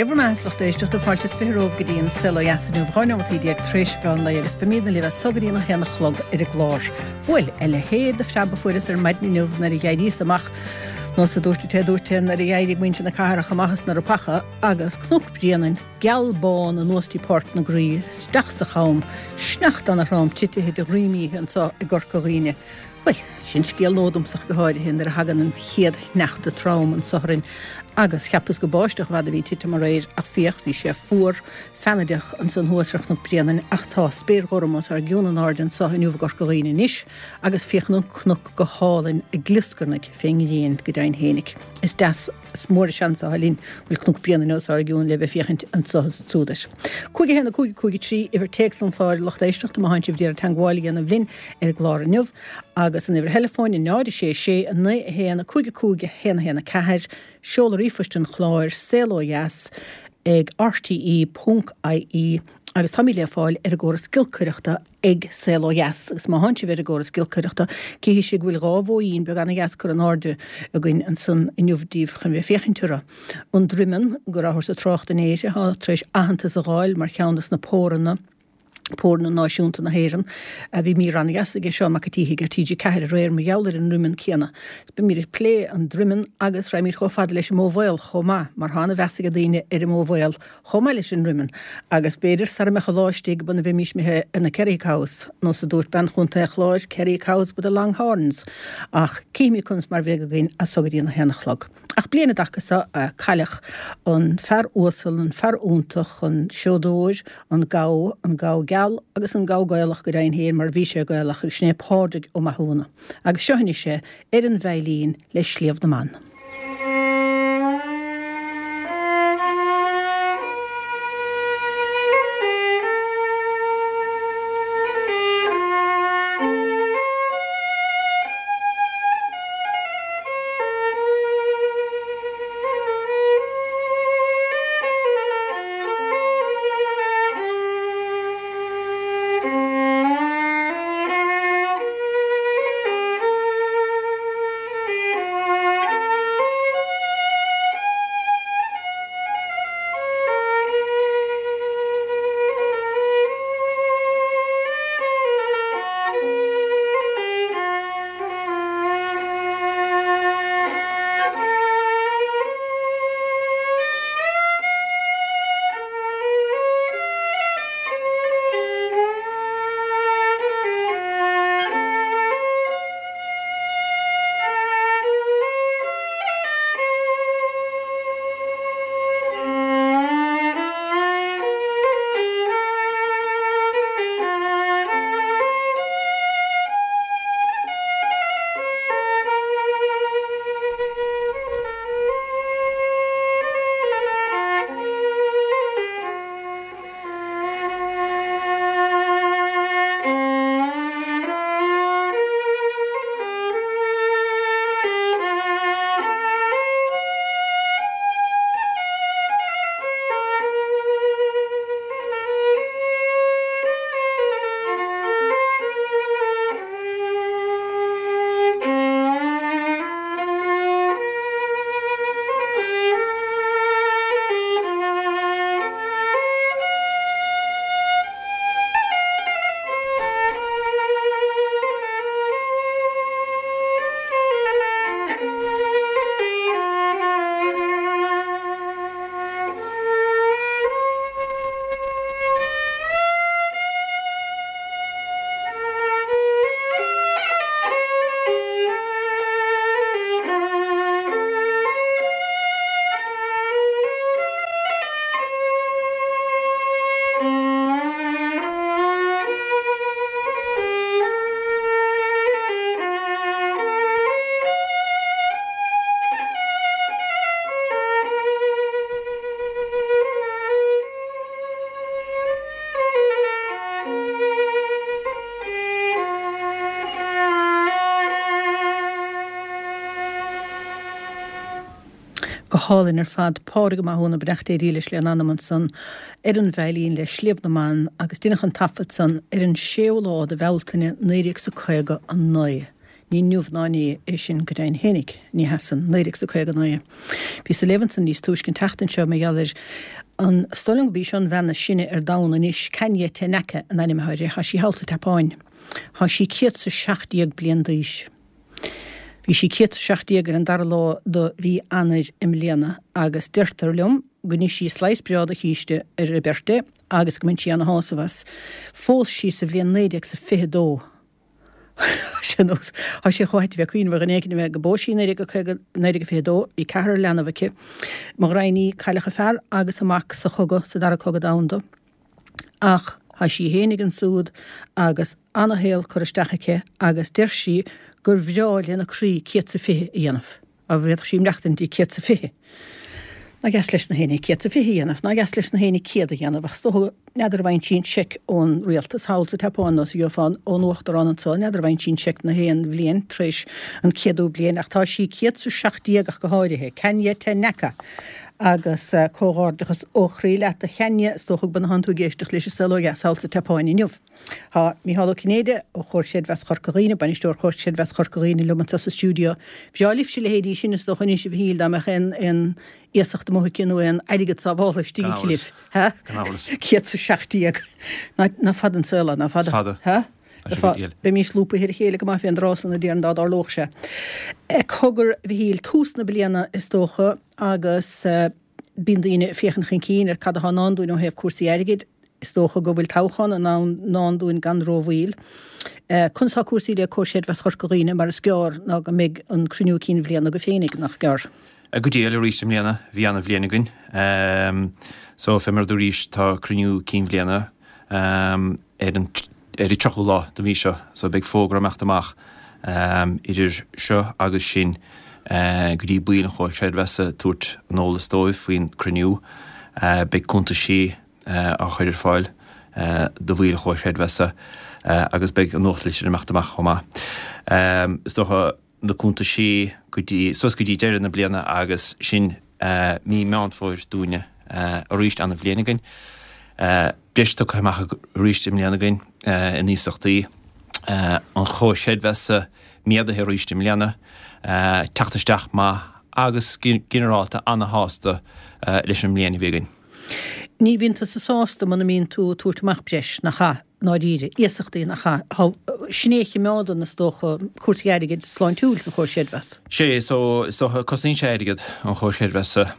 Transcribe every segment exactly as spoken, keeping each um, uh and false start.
Dé bhur mbeatha, a lucht éisteachta, fáilte is fiche romhaibh go dtí an Saol Ó Dheas inniu, dhá neomataí déag tar éis an mheán lae agus beimidne libh as so go dtí an a haon a chlog ar an gclár. Bhuel, a leithéid de phreab a fuaireas ar maidin inniu nuair a d'éiríos amach, nós a dúirt an té a dúirt é, nuair a d'éirigh muintir na cathrach amach as na ropacha agus Cnoc Bréanainn geal bán anuas dtí Páirc na Graí, isteach sa cham, sneachta ana-throm titithe de dhroim oíche anso i gCorca Dhuibhne. Bhuel, sin scéal nua domsa ach go háirithe nuair a thagann an chéad shneachta trom anso orainn agus cheapas gur báisteach i bhfad a bhí ag titim aréir ach féach, bhí sé fuar, feannaideach ansan thuas ar Chnoc Bréanainn ach tá spéir ghorm os ár gcionn in airde anso inniu i gCorca Dhuibhne anois agus féachann an cnoc go hálainn ag glioscarnaigh fén ngrian go deimhin fhéinig. Is deas, is mór an seans atá linn go bhfuil Cnoc Bréanainn os ár gcionn le bheith féachaint anso is ansúd air. Cúig a haon a cúig a cúig a trí, uimhir téacs an chláir, lucht éisteachta, má thánn sibh d'iarraidh teangmháil a dhéanamh linn ar an gclár inniu, agus an uimhir theileafóin, a náid a sé sé a naoi a haon a cúig a cúig a haon a haon a ceathair, seoladh ríomhphoist an chláir, saol ó dheas ag rte ponc ie, agus táimid le fáil ar an gcóras giolcaireachta ag Saol Ó Dheas agus má thánn sibh ar an gcóras giolcaireachta cífidh sibh go bhfuil dhá bhóín beag ana-dheas curtha in airde againn ansan inniu daoibh chun bheith féachaint orthu. An Droimeann, go rabhthar ag trácht inné air, atá tar éis aitheantas a dh'fháil mar cheann dos na póranna, póranna náisiúnta na hÉireann. Bhí mír ana-dheas aige Seán Mac an tSíthigh ar T G ceathair aréir mar gheall ar an ndroimeann céanna. Beimid ag plé an droimeann agus raghaimid chomh fada leis an mbó mhaol chomh maith mar tá ana-mheas ag daoine ar an mbó mhaol chomh maith leis an ndroimeann agus b'fhéidir sara mbeadh an lá istigh go mbeimís imithe ar na Kerry cows, nós a dúirt bean Chontae an Chláir, Kerry cows with the long horns. Ach cífimid conas mar bheidh againn as so go dtí an a haon a chlog. Ach bliain an dtaca so a cailleadh an fear uasal, an fear iontach, an seodóir, an gabha, an gabha geal agus an gabha Gaelach go deimhin féin mar bhí sé Gaelach agus sin é Pádraig Ó Mathúna. Agus seo anois é ar an veidhlín le Sliabh na mBan. Go hálainn ar fad. Pádraig Ó Mathúna, beannacht Dé dílis lena anam ansan ar an veidhlín le Sliabh na mBan agus deineadh an taifead san ar an séú lá de Bhealtaine naoi déag 's a caoga a naoi. Ní inniu ná inné é sin go deimhin fhéinig, ní hea san, naoi déag 's a caoga naoi. Bhíos ag léamh ansan níos túisce an tseachtain seo mar gheall ar an, is dóigh liom gurb í seo an bhean is sine ar domhan anois, Kanya Tanaka an ainm atá uirthi, thá sí thall sa tSeapáin. Thá sí céad 's a seacht déag bliain d'aois. Bhí sí céad 's a seacht déag ar an dara lá de mhí Eanáir i mbliana agus deirtear liom go n-ith sí slice breá de chíste ar a birthday agus go mbain sí ana-shásamh as. Phós sí sa bhliain naoi déag 's a fiche dó. Sé nós, tá sé chomh hait a bheith ag cuimhneamh ar dhuine éicint a bheith go bpós sí i naoi déag a caoga, naoi déag a fiche dó, bhí ceathrar leanbh aici. Mo ghraidhin í, cailleadh a fear agus a mac sa chogadh, sa Dara Cogadh Domhanda. Ach tá sí fhéinig ansúd agus ana-shaol curtha isteach aici agus deir sí gur bhreá lena croí céad 's a fiche a dhéanamh. Dá bhféadfadh sí maireachtaint dtí céad 's a fiche. Nach deas leis na héinne céad 's a fiche a dhéanamh, nach deas leis na héinne céad a dhéanamh, ach is dócha, n'fheadar an bhfaigheann sí an seic ón rialtas thall sa tSeapáin nó is a gheofá ón uachtarán anso, n'fheadar an bhfaigheann sí an seic na haon bhliain tar éis an céadú bliain, ach tá sí céad 's a seacht déag ach go háirithe. Kanya Tanaka. Agus comhghairdeachas ó chroí leat a Chanya, is dócha go b'in tú ag éisteacht leis an Saol Ó Dheas thall sa tSeapáin inniu. Tá Mícheál Ó Cinnéide ó Chomhar Creidmheasa Chorca Dhuibhne, Bainisteoir Chomhar Creidmheasa Chorca Dhuibhne liom anseo sa stiúideo. Bhreá libhse a leithéidí sin is dócha anois a Mhichíl dá mbeadh aon aon iasacht amuigh aici nó aon airgead sábháltha istigh aici libh. Ha? Gan amhras. Céad 's a seacht déag. Ná ná fada an saol é, ná fada. Fada. Ha? Tá sé go diail. Bheimís lúbtha ar a chéile go maith fén dtráth san a déarfainn dá dtarlódh sé. Cogar a Mhichíl, tús na bliana is dócha agus bíonn daoine ag féachaint chun cinn ar cad atá i ndán dúinn ó thaobh cúrsaí airgid. Is dócha go bhfuil toghchán i ndán dúinn gan rómhoill. Conas tá cúrsaí le Comhar Creidmheasa Chorca Dhuibhne mar is gearr ná go mbeidh an cruinniú cinn bhliana agaibh féinig, nach gearr? Go diail arís i mbliana, bhí ana-bhliain againn. So, fé mar a dúraís, tá cruinniú cinn bhliana ar an ar an tríochú lá den mhí seo, so beidh fógra ag imeacht amach idir seo agus sin go dtí baill an Chomhair Chreidmheasa tabhairt an eolas dóibh faoin cruinniú. Beidh cuntaisí á chur ar fáil do bhaill an Chomhair Chreidmheasa agus beidh an nuachtlitir ag imeacht amach chomh maith. Is dócha na cuntaisí go dtí, suas go dtí deireadh na bliana agus sin mí Meán Fómhair dúinne arís ana-bhliain againn. Breis tugtha amach arís i mbliana againn in iasachtaí. An Chomhar Chreidmheasa méadaithe arís i mbliana. Teacht isteach maith agus ginearálta ana-shásta leis an mbliain a bhí againn. Ní bhíonn tusa sásta muna mbíonn tú ag tabhairt amach breis, nach ea, i ndáiríre? Iasachtaí, nach ea? Tá, sin é a chimeádann, is dócha, cúrsaí airgid sláintiúil sa Chomhar Chreidmheasa. Sé, so, is dócha, cosnaíonn sé airgead an Chomhar Chreidmheasa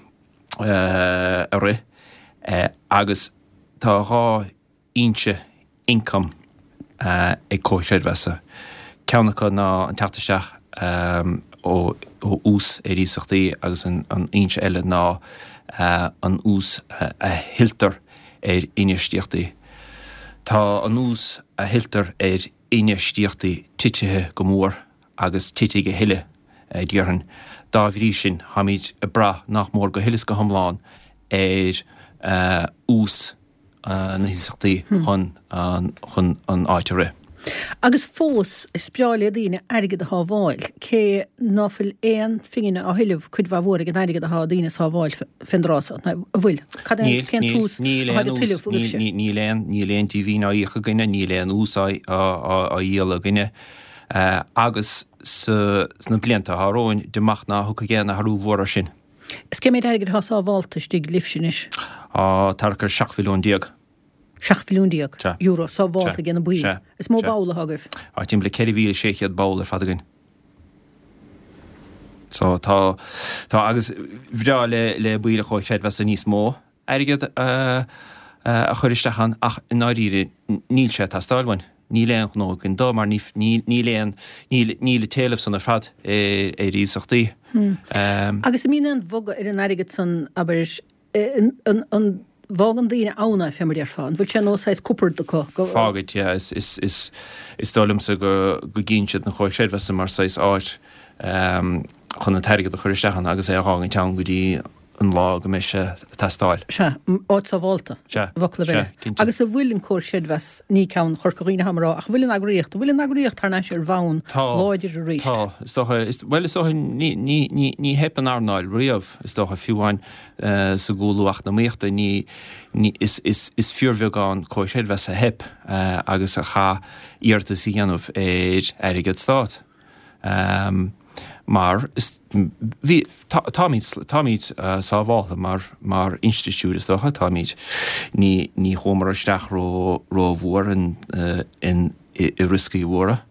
a rith agus tá dhá fhoinse ioncaim ag Comhar Creidmheasa. Ceann acu ná an teacht isteach ó ús ar iasachtaí agus an fhoinse eile ná an ús a thuilltear ar infheistíochtaí. Tá an ús a thuilltear ar infheistíochtaí titithe go mór agus titfidh a thuilleadh, déarfainn. Dá bhrí sin, táimid ag brath nach mór go huile is go hiomlán ar ús na hiasachtaí chun chun an áit a rith. Agus fós, is breá le daoine airgead a shábháil, cé ná fuil aon phingin á thuilleamh cuid mhaith mhór ag an airgead atá daoine a shábháil fén dtráth so, an bhfuil? Cad é, cén t-ús atá ag tuilleamh agaibhse? Níl aon, níl aon díbhinn á íoc againne, níl aon ús á dhíol againne agus sna blianta atá romhainn, amach ná thiocfaidh aon athrú mhór air sin. Is cé méid airgid atá sábhálta istigh libhse anois? Á, thart ar seacht mhilliún déag. Seacht mhilliún déag Sea. euro sábhálta Sea. ag na baill. Sea. Is mó Sea. ball atá agaibh? Á, timpeall le ceithre mhíle sé chéad ball ar fad againn. So, tá, tá, agus bhreá le, le baill an Chomhair Chreidmheasa níos mó airgead a, a chur isteach ann ach i ndáiríre níl sé ag teastáil uainn. Níl aon ghnó againn dó mar ní, ní, níl aon, níl, níl an t-éileamh san ar fad ar, ar iasachtaí. Agus an mbíonn aon bhogadh ar an airgead san, abair, an, an, an bhfágann daoine ann é, fé mar a déarfá? An bhfuil sé nós saghas cupard acu go. Fágaid, yeah. Is, is, is, is dóigh liomsa go, go gcíonn siad an Chomhar Chreidmheasa mar saghas áit chun an t-airgead a chur isteach ann agus é a dh'fhágaint ann go dtí an lá go mbeidh sé ag teastáil. Sea, áit sábhálta, Sea, i bhfoclaibh sea, eile. cinnte. Agus an bhfuil an Comhar Creidmheas, ní ceann Chorca Dhuibhne atáim a rá, ach an bhfuil an eagraíocht, an bhfuil an eagraíocht thar n-ais ar bhonn Tá, láidir arís? tá, is dócha, is, bhuel, is dócha, ní, ní, ní, ní theip an earnáil riamh, is dócha, fiú amháin sa gcúlú eacnamaíochta, ní, ní, is, is, is fíorbheagán Comhar Creidmheasa a theip agus a chaith iarratas a dhéanamh ar airgead stát. Mar is bhí táimid táimid sábháltha mar mar institiúid is dócha, táimid ní ní chuamar isteach ró rómhór in in i rioscaí mhóra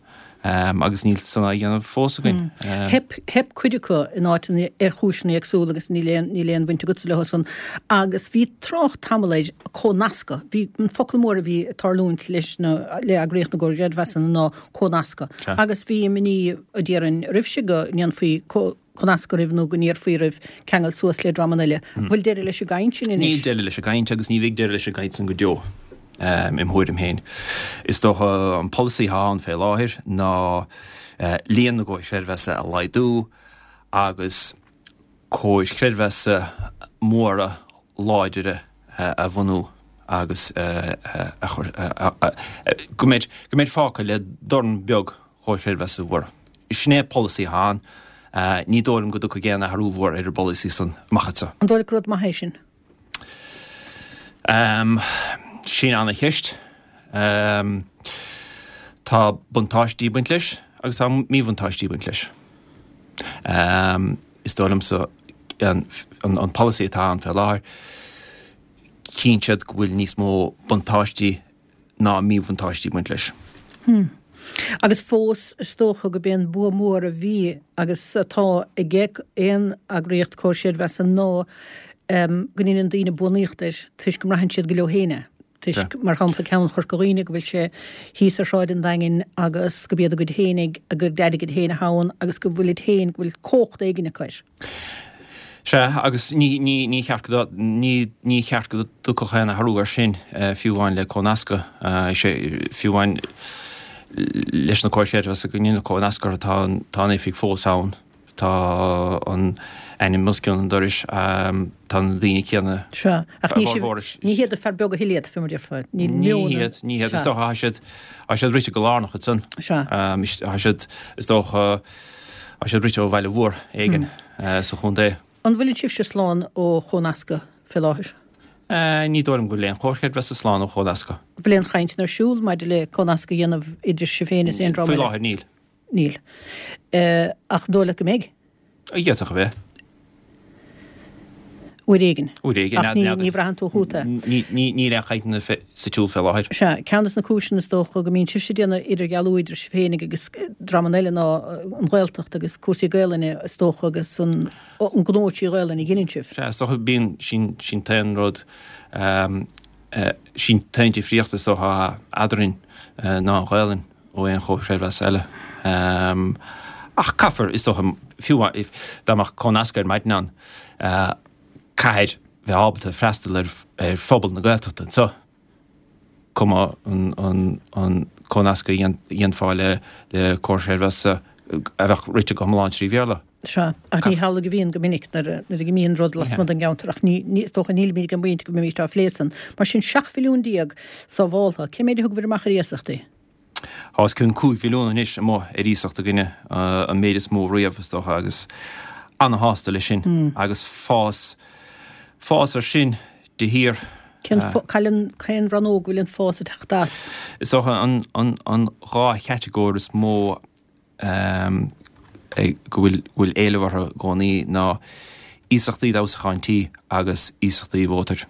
agus níl san á dhéanamh fós againn. Theip theip cuid acu in áiteanna ar chúiseanna éagsúla agus níl aon níl aon bhaint agatsa leo san agus bhí trácht tamall ar comhnascadh. Bhí an focal mór a bhí ag tarlúint leis na le eagraíocht na gcomhar creidmheasanna ná comhnascadh. Agus bhí imní a déarfainn roimhse go ndéanfaí comhnascadh oraibh nó go n-iarrfaí oraibh ceangal suas le dreamanna eile. Bhfuil deireadh leis an gcaint sin anois? Níl deireadh leis an gcaint agus ní bheidh deireadh leis an gcaint san go deo. Im thuairim féin. Is dócha an polasaí atá ann fé láthair ná líon na gcomhar creidmheasa a laghdú agus comhair chreidmheasa móra láidre a bhunú agus a chur go mbeidh go mbeidh fágtha le dorn beag comhair chreidmheasa mhóra. Sin é an polasaí atá ann. Ní dóigh liom go dtiocfaidh aon athrú mhór ar an bpolasaí san amach anseo. An dóigh leat gur rud maith é sin? Sin ana-cheist. Tá buntáistí ag baint leis agus tá míbhuntáistí ag baint leis. Is dóigh liomsa an, an, an polasaí atá ann fé láthair, chíonn siad go bhfuil níos mó buntáistí ná míbhuntáistí ag baint leis. Hmm. Agus fós is dócha go b'é an bua mór a bhí agus atá ag aon eagraíocht comhar creidmheasa ná go ndéanann daoine buanaíocht air toisc go mbraitheann siad go leo féin é. Toisc, mar shampla, ceann Chorca Dhuibhne go bhfuil sé thíos ar Shráid an Daingin agus go b'iad a gcuid féinig, a gcuid airgid féin atá ann agus go bhfuilid féin, go bhfuil cumhacht éigin acu air. Sea, agus ní, ní, ní cheart go, ní, ní cheart go dtiocfadh aon athrú air sin, fiú amháin le comhnascadh. Sé, fiú amháin leis na comhair chreidmheasa go ndéanadh comhnascadh orthu, tá an, tá an oifig fós ann. Tá an ainm os cionn an dorais, tá na daoine céanna. Sea, ach ní sibh, ní hiad an fear beag a thuill iad, fé mar a déarfá. Ní hiad, ní hiad. Is dócha, tá siad, tá siad rite go lárnach ansan. Sea. Tá siad, is dócha, tá siad rite ó bhaile mhór éigin sa chontae. An bhfuil sibhse slán ó chomhnascadh fé láthair? Ní dóigh liom go bhfuil aon chomhar creidmheasa slán ó chomhnascadh. Bhfuil aon chainteanna ar siúl maidir le comhnascadh a dhéanamh idir sibh féin is aon dream eile? Faoi láthair níl. Níl. Ach an dóigh leat go mbeidh? D'fhéadfadh a bheith. Uair éigin. Uair éigin. Ach ní, ní bhraitheann tú chugat é. Níl aon chainteanna sa tsiúl fé láthair. Sea, ceann de na cúiseanna is dócha go mbíonn sibhse ag déanamh idirdhealú idir sibh féinig agus dreamanna eile ná an Ghaeltacht agus cúrsaí Gaelainne is dócha agus an an gnó trí Ghaelainn a dheineann sibh. Sea, is dócha bíonn, sin, sin t-aon rud, sin t-aon difríocht is dócha eadrainn ná an Ghaelainn. ó aon chomhar creidmheasa eile. Ach caithfear, is dócha, fiú dá mbeadh comhnascadh ar maidin ann, caithfear bheith ábalta freastal ar phobal na Gaeltachta anseo, cuma an comhnascadh a dhéanfá le comhar creidmheasa a bheadh rite go hiomlán trí Bhéarla. Sea, ach ní hamhlaidh a bhíonn go minic nuair a imíonn rud lasmuigh den gceantar, ach ní, is dócha nílimid ag an bpointe go mbeimid á phlé san. Mar sin, seacht mhilliún déag sábháltha, cé méid a thugabhair amach ar iasachtaí? Tá os cionn cúig mhilliún anois amuigh ar iasacht againne, an méid is mó riamh, is dócha, agus ana-shásta leis sin agus fás, fás ar sin de shíor. Cén, cén rannóg a bhfuil an fás ag teacht as? Is dócha an, an, an dhá chatagóir is mó go bhfuil, bhfuil éileamh orthu i gcónaí ná iasachtaí d'fheabhsúchán tí agus iasachtaí mhótair.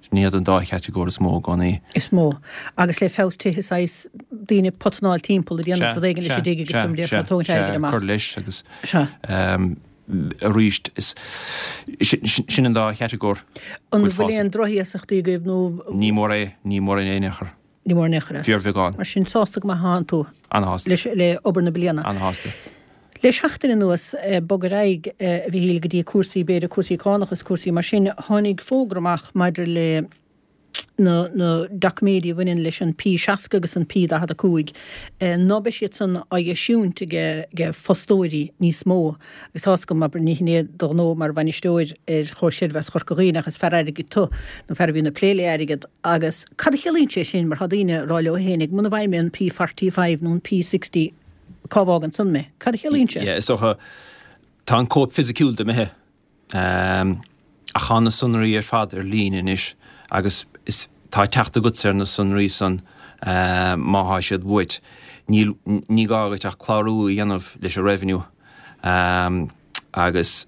Sin iad an dá chatagóir is mó i gcónaí. Is mó. Agus le feabhas tithe saghas daoine ag potanáil timpeall ag déanamh rud éigin leis an dtigh agus dom déarfá ag tógaint airgid amach. Cur leis agus arís is sin an dá chatagóir. An bhfuil aon drochiasachtaí agaibh nó? Ní mór é, ní mór in aon chor. Ní mór in aon chor é. Fíorbheagán. Mar sin sásta go maith atánn tú. Ana-shásta. Leis, le obair na bliana. Ana-shásta. Le seachtain anuas, bog ar aghaidh, a Mhichíl, go dtí cúrsaí, b'fhéidir, cúrsaí cánach is cúrsaí mar sin, tháinig fógra amach maidir le na na doiciméidí a bhaineann leis an P seasca agus an P daichead a cúig, ná beidh siad san á eisiúint ag ag fostóirí níos mó. Agus tá's agam, abair, ní hin é do ghnó mar bhainisteoir ar Chomhar Creidmheasa Chorca Dhuibhne ach is fear airgid tu, nó fear a bhíonn ag plé le airgead. Agus cad a chiallaíonn sé sin mar tá daoine ag rá leo fhéinig, muna bhfaighidh mé an P forty five nó an P sixty, cá bhfágann san mé? Cad a chiallaíonn sé? Yeah, is dócha, tá an cóip fisiciúil imithe, ach tá na sonraí ar fad ar líne anois agus is, tá teacht agatsa ar na sonraí san má thá siad uait. níl, ní gá duit ach clárú a dhéanamh leis an Revenue agus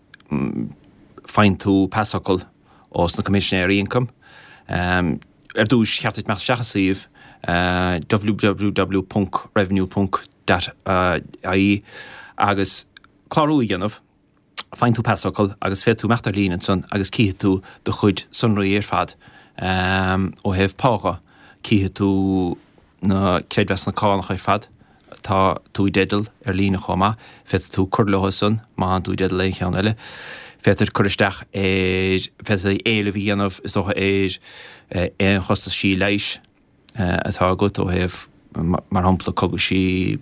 faigheann tú pasfhocal ós na Coimisinéirí Ioncaim. Ar dtús, cheart duit imeacht isteach sa suíomh www ponc revenue ponc ie agus clárú a dhéanamh. Faigheann tú pasfhocal agus féadfaidh tú imeacht ar líne ansan agus cífidh tú do chuid sonraí ar fad ó thaobh pá dhe. Cífidh tú na creidmheasanna cánach ar fad atá tú i dteideal ar líne chomh maith. Féadfaidh tú cur leo san má thánn tú i dteideal aon cheann eile. Féadtar cur isteach ar, féadtar éileamh a dhéanamh is dócha ar aon chostaisí leighis atá agat ó thaobh, mar shampla, cogaisí,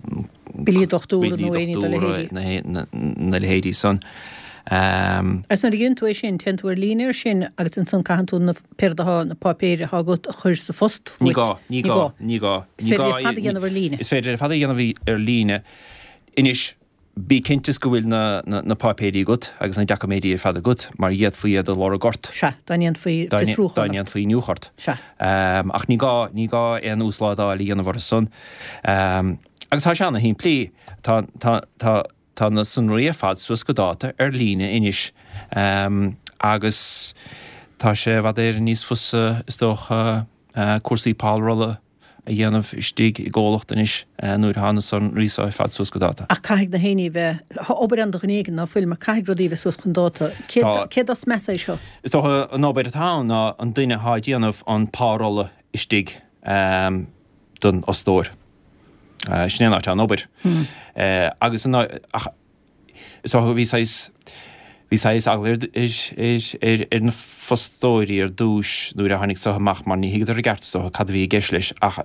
Billí dochtúra nó aon ní dá leithéidí. na leithéidí san. Agus nuair a dhéanann tú é sin, téann tú ar líne air sin agus ansan caitheann tú na pé rud atá, na páipéir atá agat a chur sa phost Ní gá, ní gá, ní gá. Is féidir é ar fad a dhéanamh ar líne. Is féidir é ar fad a dhéanamh ar líne. Anois, bí cinnte is go bhfuil na, na páipéirí agat agus na doiciméidí ar fad agat mar d'fhéadfaí iad a lorg ort. Sea, dá ndéanfaí fiosrúchán ort. Dá ndéanfaí iniúchadh ort. Sea. Ach ní gá, ní gá aon uaslódáil a dhéanamh orthu san. Agus tá sé ana-shimplí. Tá, tá, tá, tá na sonraí ar fad suas go dáta ar líne anois agus tá sé i bhfad Éireann níos fusa is dócha cúrsaí párolla a dhéanamh istigh i gcomhlacht anois nuair atá na sonraí seo ar fad suas go dáta. Ach caithfidh na héinní bheith, tá obair ann do dhuine éigin, ná fuil, mar caithfidh rudaí bheith suas chun dáta. Cé, cé dos measa é seo? Is dócha an obair atá ann ná an duine atá ag déanamh an párolla istigh don fhostóir. Sin é an áit atá an obair. Agus an, ach is dócha bhí saghas, bhí saghas eagla ar, ar na fostóirí ar dtúis nuair a tháinig seo amach mar ní thuigeadar i gceart is dócha cad a bhí i gceist leis ach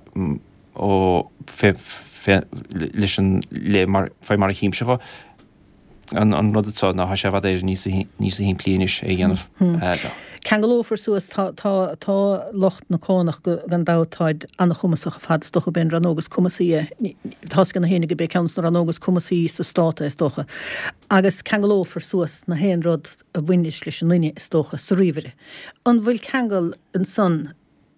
ó fé, fé, leis an, le mar, fé mar a chímse dhó an, an rud seo ná tá sé i bhfad Éireann níos, níos shimplí anois é a dhéanamh. Ceangalófar suas, tá, tá, tá lucht na cánach go, gan dabht táid an-chumasach ar fad is dócha, b'é an rannóg is cumasaí é, tá 's ag na héinne go b'é ceann de na rannóga is cumasaí sa stát é is dócha. Agus ceangalófar suas na haon rud a bhaineas leis an nduine is dócha sa ríomhaire. An bhfuil ceangal ansan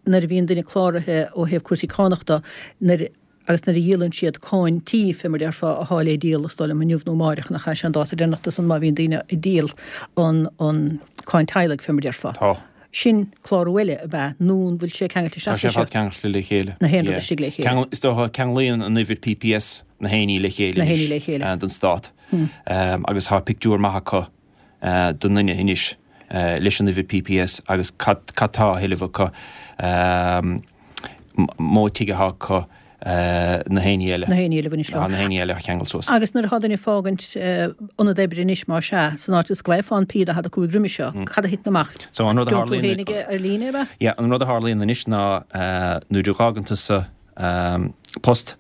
nuair a bhíonn duine cláraithe ó thaobh cúrsaí cánach de, nuair, agus nuair a dhíolann siad cáin tí, fé mar déarfá, athá le díol, is dóigh liom, inniu nó amáireach, nach é sé an dáta deireanach do san má bhíonn daoine ag díol an, an cáin teaghlaigh, fé mar déarfá. Tá. Sin clárú eile, ab ea? Nó an bhfuil sé ceangailte Tá isteach sé leis ar fad seo? ceangailte le chéile. Na haon rud Yeah. istigh le chéile. Ceangal, is dócha, ceanglaíonn an uimhir PPS na haon ní le chéile Na haon ní anois, le chéile. don Stát. Agus tá pictiúr maith acu don nduine anois leis an uimhir PPS agus cad, cad tá á thuilleamh acu, modh tighe atá acu, na haon ní eile. Na haon ní eile a bhaineas leo. Na haon ní eile a cheangal suas. Agus nuair atá duine ag fágaint ionad oibre anois, más ea, san áit is go bhfaighfeá an P daichead a cúig roimhe seo, cad a thiteann amach? So an rud a Gheobhaidh tú tharlaíonn. féin aige ar líne, ab ea? Yeah, an rud a tharlaíonn anois ná nuair a dh'fhágann tusa post,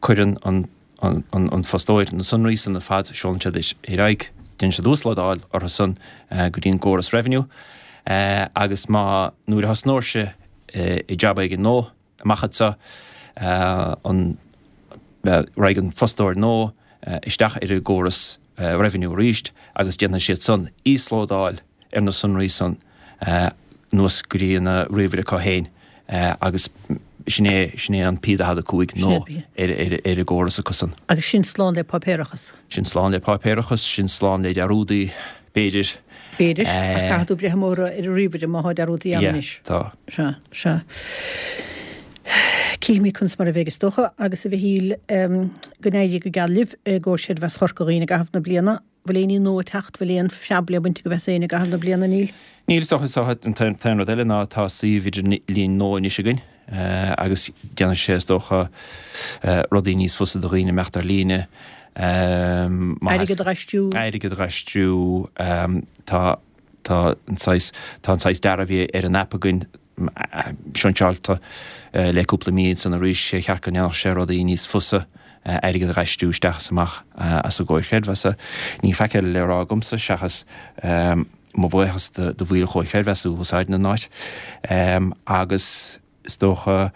cuireann an an fostóir na sonraí san ar fad, seolann siad ar aghaidh, déanann siad uaslódáil orthu san go dtí an gcóras Revenue agus má, nuair a thosnóirse i jab éigin nua amach anseo, an, raghaidh an fostóir nua isteach ar an gcóras Revenue arís agus déanfaidh siad san íoslódáil ar na sonraí san anuas go dtí an ríomhaire acu féin agus sin é, sin é an P daichead a cúig nua ar ar an gcóras acu san. Agus sin slán le páipéarachas. Sin slán le páipéarachas, sin slán le dearúdaí, b'fhéidir. B'fhéidir, ach caithfidh tú breith amach ar an ríomhaire má thá dearúdaí ann Yeah, anois. tá. Sea, sea. Cífimid conas mar a bheidh is dócha, agus a Mhichíl, go n-éirí go geal libh i gComhar Creidmheasa Chorca Dhuibhne i gcaitheamh na bliana. Bhfuil aon ní nua ag teacht? Bhfuil aon phreab le baint agaibh as éinne i gcaitheamh na bliana? Níl. Níl, is dócha. Is dócha an t-aon rud eile ná tá suíomh idirlín nua anois againn agus déanfaidh sé, is dócha, rudaí níos fusa do dhaoine imeacht ar líne. Airgead a dh'aistriú. Airgead a dh'aistriú. Tá, tá an saghas, tá an saghas dearadh a bhí ar an aip againn seinseáilte le cúpla mí ansan arís, sé cheart go ndéanfadh sé rudaí níos fusa airgead a dh'aistriú isteach is amach as an gcomhar creidmheasa. Níl faic eile le rá agamsa seachas mo bhuíochas do bhaill an Chomhair Chreidmheasa a úsáideann an áit agus is dócha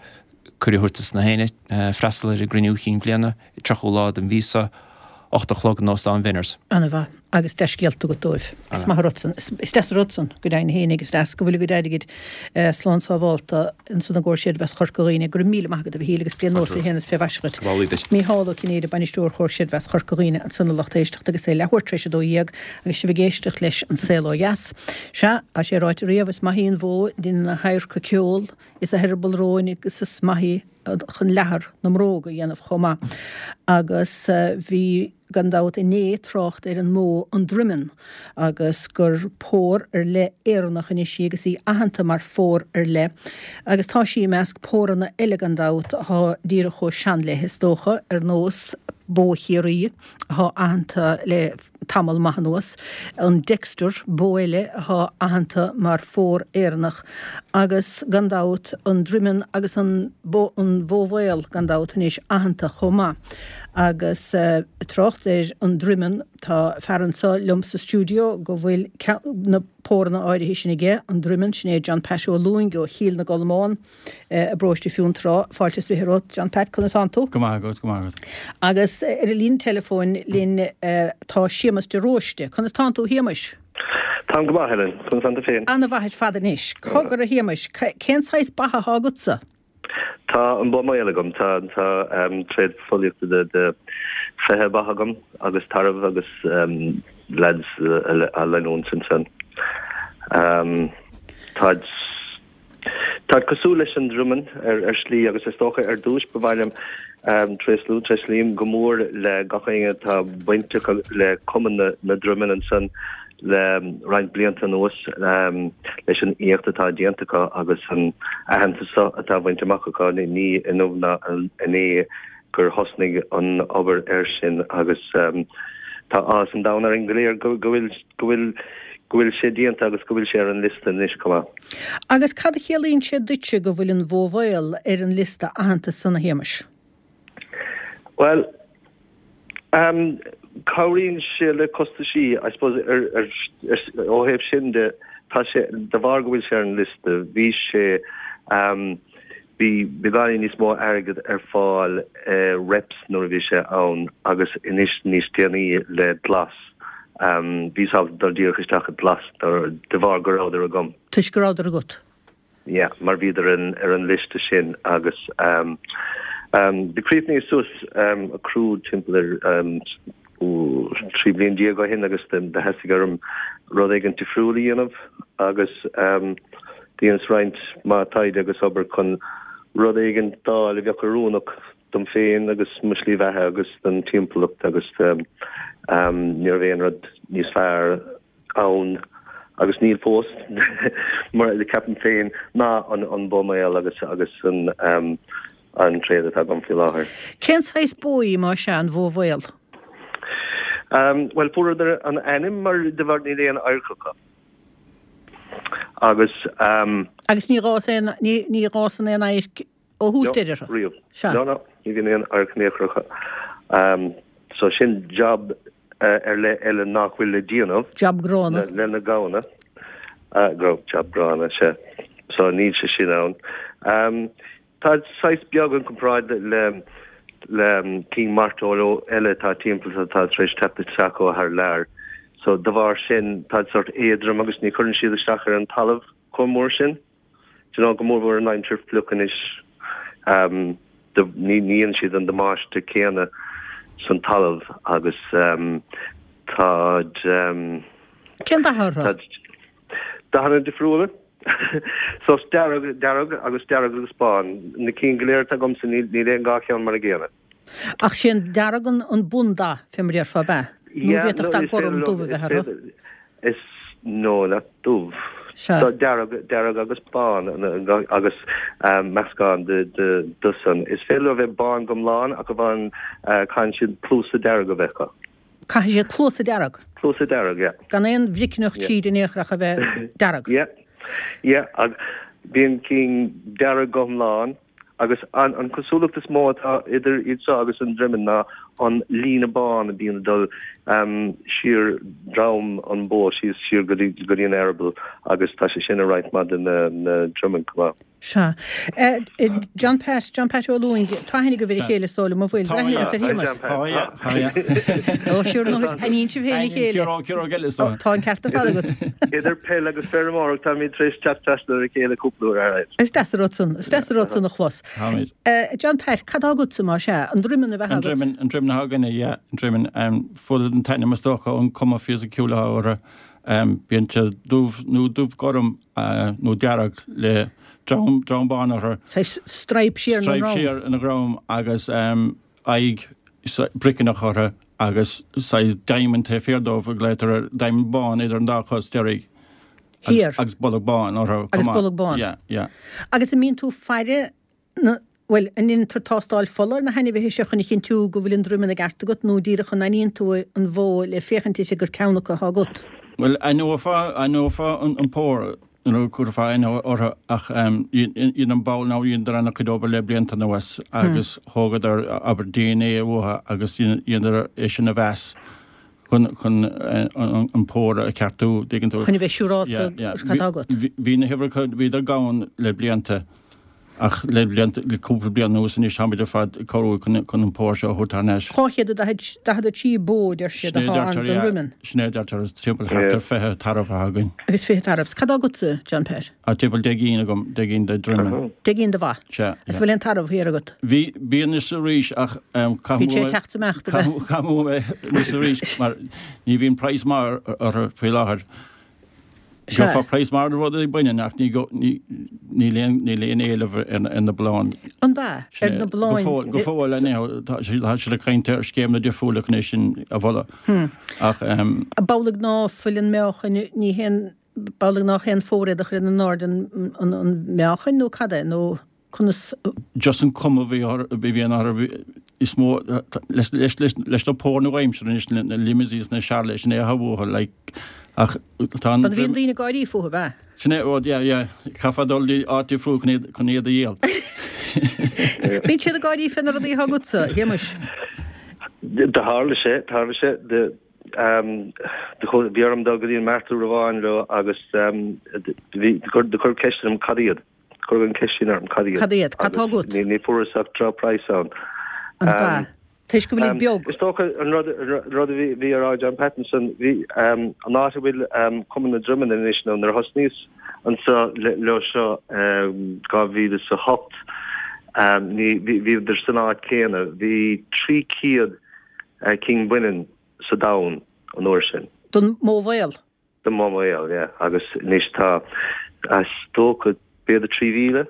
cuireadh a thabhairt dos na héinne freastal ar an gcruinniú chinn bliana, tríochú lá den mhí seo, ocht a chlog in Óstán Bhenners. Ana-mhaith. Agus dea-scéalta agat dóibh. Is maith an rud san. Is deas an rud san, go deimhin fhéinig, is deas go bhfuil a gcuid airgid slán sábhálta ins an gComhar Creidmheasa Chorca Dhuibhne. Go raibh míle maith agat, a Mhichíl, agus bliain nua fé shéan is fé mhaise dhuit. Mícheál Ó Cinnéide, Bainisteoir Chomhar Creidmheasa Chorca Dhuibhne, ansan a lucht éisteachta agus é leathuair tar éis a dó dhéag agus sibh ag éisteacht leis An Saol Ó Dheas. Sea, tá sé ráite riamh, is maith í an bhó a dheineann a hadharca ceol is a heireaball róin agus is maith í chun leathar na mbróg a dhéanamh chomh maith. Agus bhí, gan dabht, inné trácht ar an mbó an Droimeann agus gur pór ar leith Éireannach anois í agus í aitheanta mar phór ar leith. Agus tá sí i measc póranna eile gan dabht atá díreach chomh sean léi is dócha, ar nós bó Chiarraí atá aitheanta le tamall maith anuas, an Dexter, bó eile atá aitheanta mar phór Éireannach agus gan dabht an Droimeann agus an bó an bhó mhaol gan dabht anois aitheanta chomh maith. Agus trácht ar an Droimeann, tá fear anseo liom sa stiúideo go bhfuil na póranna áirithe sin aige, an Droimeann, sin é John Pat Ó Lúing ó Chill na gColmán i bparóiste Fionntrá. Fáilte is fiche romhat, John Pat, conas tánn tú? Go maith agat, go maith agat. Agus ar an líne teileafóin linn tá Séamus de Róiste. Conas tánn tú, a Shéamuis? Táim go maith, Helen. Conas tánn tú féin? Ana-mhaith ar fad anois. Cogar, a Shéamuis, cén saghas ba atá agatsa? Tá an bó maol agam. Tá tá tréad fóillíochta de de fiche ba agam agus tarbh agus lads á leanúint ansan. Táid táid cosúil leis an Droimeann ar ar shlí agus is dócha ar dtús ba mhaith liom tréaslú, tréaslaím go mór le gach éinne atá bainteach le Cumann na na Droimeann ansan le roinnt blianta anuas leis an éacht atá déanta acu agus an aitheantas seo atá bainte amach acu. Ní inniu ná inné gur thosnaigh an obair air sin agus tá áthas an domhain orainn go léir go bhfuil go bhfuil go bhfuil sé déanta agus go bhfuil sé ar an liosta anois chomh maith. Agus cad a chiallaíonn sé duitse go bhfuil an bhó mhaol ar an liosta aitheantais san, a Shéamais? Bhuel, um, cabhraíonn sé le costaisí, I suppose, ar, ar, ar, ó thaobh sin de, tá sé, de bharr go bhfuil sé ar an liosta, bhí sé, um, bhí beagáinín níos mó airgead ar fáil uh, reps nuair a bhí sé ann agus anois níos déanaí le glas. Um, bhí sábalta dul díreach isteach i glas de bharr go rabhadar agam. Toisc go rabhadar agat? Yeah, mar bhíodar an, ar an liosta sin agus um, um, do chríochnaíos suas um, a crú timpeall ar um, trí bliana déag ó shin agus do theastaigh orm rud éigin difriúil a dhéanamh agus um, dheineas roinnt mhaith taighde agus obair chun rud éigin d'fháil a bheadh oiriúnach dom féin agus mo shlí bheatha agus don timpeallacht agus um, um, ní raibh aon rud níos fearr ann agus níl fós mar le ceapaim féin ná an an bó maol agus agus an um, an tréad atá agam faoi láthair. Cén saghas bó í má sea an bhó mhaol? Um, well fuaireadar an ainm mar de bharr níl aon adharc acu. Agus um, Agus ní fhásann ní ní fhásann aon adharc ó thús deireadh? Riamh. No, no, ní bhíonn aon adharc in aon chor acu. Um, so sin job uh, ar leith eile nach bhfuil le déanamh. Job gránna. Le na gamhna. Uh, go job gránna sé. So níl sé sin ann. Um, tá saghas beag in comparáid le le cinn mairteola eile atá timpeall atá tar éis teacht isteach ó thar lear. So de bharr sin tá sort éadrom agus ní chuireann siad isteach ar an talamh chomh mór sin. You know, go mórmhór an aimsir fliuch anois um, ní níonn siad an damáiste céanna san talamh agus um, táid um, Cén dath orthu? Dathanna difriúla. So dearg dearg agus dearg agus bán. Na cinn go léir atá agamsa níl níl aon dhá cheann mar a gcéanna. Ach sin dearg an an bundath fé mar a déarfá ab ea? Nó bhféadfadh dath gorm dubh a bheith orthu? Is no nach dubh. So dearg dearg agus bán agus um, meascán de de de san. Is féidir leo bheith bán go hiomlán ach amháin uh, caithfidh siad cluasa dearg a bheith acu. Caithfidh siad cluasa dearg? Cluasa dearg, yeah. Gan aon bhricneach tríd in aon chor ach a bheith dearg? Yeah. Yeah, ag bíonn cinn dearg go hiomlán agus an an cosúlacht is mó atá idir iad seo agus an Droimeann ná an líne bán a bhíonn ag dul um, siar droim an bó síos siar go dtí go dtí an eireaball agus tá sé sin i roinnt mhaith de na na Droimeann chomh maith. Sea. John Pat, John Pat Ó Lúing, tá aithne agaibh ar a chéile is dóigh liom, an bhfuil? Tá, yeah. Ar Shéamus. Tá, yeah, tá, yeah. Ó, siúr nó aithníonn sibh féin a chéile. Ciaróg, ciaróg eile is dóigh. Tá an ceart ar fad agat. Idir peil agus feirmeoireacht táimid tar éis teacht trasna ar a chéile cúpla uair, alright. Is deas an rud san, is deas an rud san a chlos. Táimid. John Pat, cad tá agatsa más ea? An Droimeann ab ea An agat? Droimeann, an Droimeann atá againne, yeah, an Droimeann. Fuaireadar an t-ainm is dócha ón cuma fisiciúil atá orthu. Bíonn siad dubh nó dubh gorm nó dearg le drom, drom bán orthu. Saghas stripe siar ina Stripe ndrom. siar ina ndrom agus aghaidh briceannach orthu agus saghas diamond taobh thiar dóibh a glaotar air, diamond bán idir an dá chos deiridh. Thiar. Agus bolg bán orthu chomh Agus maith. bolg bán. Yeah, yeah. Agus an mbíonn tú faire na, bhuel, an ndéantar tástáil fola ar na hainmhithe seo chun a chinntiú go bhfuil an Droimeann i gceart agat nó díreach an aithníonn tú an bhó le féachaint uirthi gur ceann acu atá agat? Bhuel, aithneofá, aithneofá an pór nuair a chuirfeá aithne orthu ach dhein an ball nó dheineadar an-chuid obair le blianta anuas agus thógadar, abair, DNA uathu agus dheineadar é sin a mheas chun, chun an pór a cheartú, dtuigeann tú. Chun a bheith siúrálta cad atá agat. Bhí na huimhreacha, bhíodar gann le blianta. Ach le blianta, le cúpla bliain anuas anois táimid ar fad ag cabhrú chun chun an pór seo a thabhairt thar n-ais. Dhá chéad a daichead, daichead a trí bó, deir siad, Sin é atá ann deirtear, don yeah. Droimeann. Sin é deirtear, is timpeall thart ar fiche tarbh atá againn. Agus fiche tarbh. Cad tá agatsa, John Pat? Tá timpeall deich gcinn agam, deich gcinn de Droimeann. Deich gcinn de bha. Sea, Is yeah. bhfuil aon tarbh thiar agat? Bhí, bíonn anois arís ach caithfidh Bíonn sé ag teacht is imeacht, ab ea? Caithfidh mé anois arís mar ní bhíonn praghas maith orthu faoi láthair. Gheofá praghas maith ar rudaí baineann ach ní níl aon níl aon éileamh ar na bláthanna. An b'ea? Ar na bláthanna? Go fóill, go fóill anyhow tá tá siad ag caint ar scéimeanna difriúla chun é sin a mholadh. Ach. B'amhlaidh ná fuil an meáchan, ní haon, b'amhlaidh nach aon phór iad a chuireann in airde an an meáchan nó cad é nó conas. Just an cuma a bhí a bhíonn orthu is mó leis leis leis leis na póir nua-aimseartha anois na Limousins na Charolais sin é atá uathu like ach tá an. An bhíonn daoine ag gáirí fúthu, ab ea? Sin é rud yeah yeah caithfeá dul dtí áit difriúil chun iad chun iad a dhíol. Bíonn siad ag gáirí fé na rudaí atá agatsa, a Shéamais. Do tharla sé, tharla sé de bhí orm dul go dtí an mart uair amháin leo agus bhí do cuireadh ceist orm cad iad. Cuireadh an ceist sin orm, cad iad? Cad iad? Cad tá agat? Ní, ní fuaireas ach droch-praghas ann. An b'ea? Toisc go bhfuil iad beag. Is dócha an rud, an rud a bhí, bhí á rá ag John Pat ansan, bhí, an áit a bhfuil Cumann na Droimeann anois nó nuair a thosnaíos anso leo seo dhá mhíle is a hocht, ní, bhí, bhíodar san áit céanna. Bhí trí chéad cinn baineann sa domhan an uair sin. Den mbó mhaol? Den mbó mhaol, yeah. Agus anois tá, is dócha, b'fhéidir trí mhíle.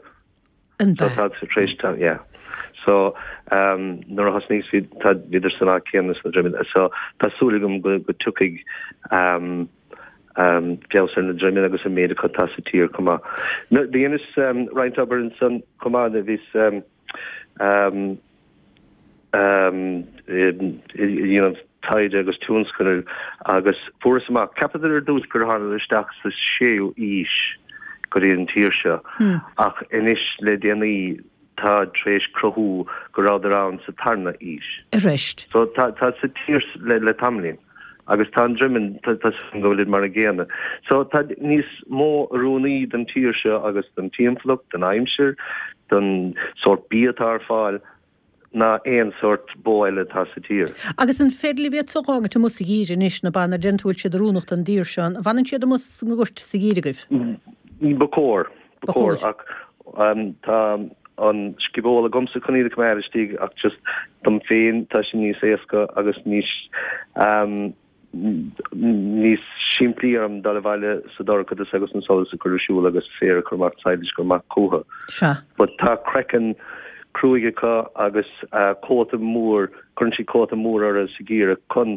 An So b'ea? tá tar éis, tá, yeah. So um, nuair a thosnaíos bhí, tá, bhíodar san áit céanna sna Droimeann. So tá súil agam go, go dtiocfaidh um, um, feabhas ar na Droimeann agus an méid acu atá sa tír chomh maith. No, dheineas um, roinnt obair ansan chomh maith, bhíos um, um, ag déanamh taighde agus tionscadail agus fuaireas amach, cheapadar ar dtús gur thánadar isteach sa séú aois go dtí an tír seo ach anois le déanaí táid tar éis cruthú go rabhadar ann sa tarna aois. Arís. So tá tá sa tír le le tamaillín agus tá an Droimeann tá tá súil agam go bhfuilid mar an gcéanna. So tá níos mó oiriúnaí don tír seo agus don timpeallacht, don aimsir, don sórt bia atá ar fáil. ná aon sórt bó eile atá sa tír. Agus an féidir libh iad so a dh'fhágaint amuigh sa gheimhreadh anois, na ba, nuair a deireann tú go bhfuil siad oiriúnach don dtír seo, an bhfanann siad amuigh sa ngort sa gheimhreadh agaibh? Ba chóir, ba Ba chóir, chóir. ach tá an sciobóil agamsa chun iad a choimeád istigh ach just dom féin tá sé níos éasca agus níos níos simplí orm dul abhaile sa dorchadas agus an solas a chur ar siúl agus féar a chur amach, silage a chur amach chucu. Sea. But tá craiceann cruaidh acu agus cóta mór, cuireann siad cóta mór orthu sa gheimhreadh chun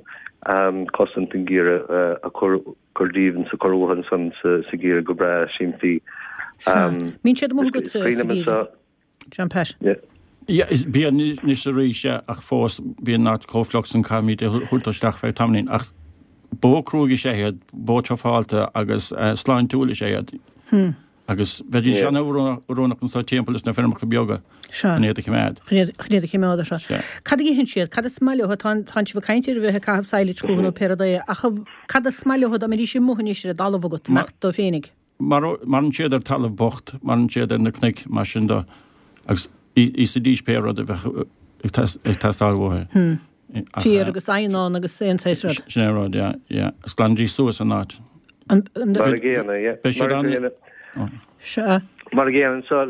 cosaint an gheimhreadh a chur chur díobh is a chur uathu ansan sa gheimhreadh go breá simplí. Sea. Mbíonn siad amuigh agat Is sa cuimhin liom gheimhreadh, anso. John Pat? Yeah. Yeah, is bíonn anois arís, yeah, ach fós bíonn an áit chomh fliuch san caithfimid a thabhairt isteach feadh tamaillín. Ach bó cruaidh is ea iad, bó trufálta agus sláintiúil is ea iad. Agus bheidís Yeah. an-oiriúnach anso timpeall is na feirmeacha beaga Sea. chun iad a choimeád. Chun iad chun iad a choimeád, sea. Sea. Cad a itheann siad? Cad is maith leo? Tá tánn sibh ag caint ar a bheith ag caitheamh silage chucu nó pé rud é, ach cad is maith leo dá mbeidís amuigh anois ar an dtalamh agat, amach dóibh féinig? Maireann siad ar talamh bocht, maireann siad ar na cnoic mar sin de agus íosfaidís pé rud a bheadh ag teastáil uathu. Féar agus eidhneán agus aon saghas rud. Sin é an rud, yeah, yeah. Agus glanfaidís suas an áit. Mar a gcéanna, yeah. Beidh siad an. Sea. Mar a gcéanna, so,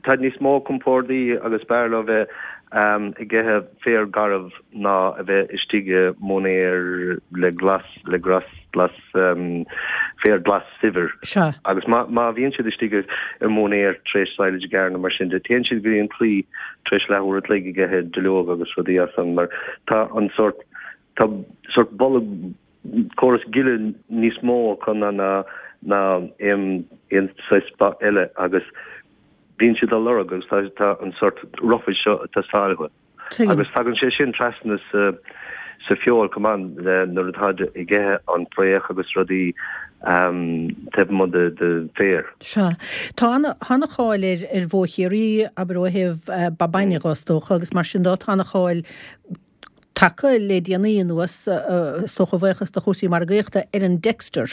tá níos mó compordaí agus b'fhearr leo bheith ag ithe féar garbh ná a bheith istigh i móinéar le glas, le glas, glas, féar glas saibhir. Sea. Agus má, má bhíonn siad istigh i móinéar tar éis silage a ghearradh nó mar sin de, téann siad go dtí an claí tar éis leathuair a chloig ag ithe duilleog agus rudaí as san mar tá an sórt, tá sórt bolg, córas gile níos mó acu ná ná aon aon saghas ba eile agus bíonn siad á lorg agus tá tá an sórt roughage seo ag teastáil uathu. Tuigim. Agus tagann sé sin trasna sa sa feoil chomh maith le nuair atáid ag ithe an fraoch agus rudaí taobh amuigh de de féar. Sea. Tá ana ana-cháil ar ar bhó Chiarraí, abair ó thaobh ba bainne dhó is dócha agus mar sin dó tá ana-cháil tagtha le déanaí anuas, is dócha a bhuíochas do chúrsaí margaíochta, ar an Dexter.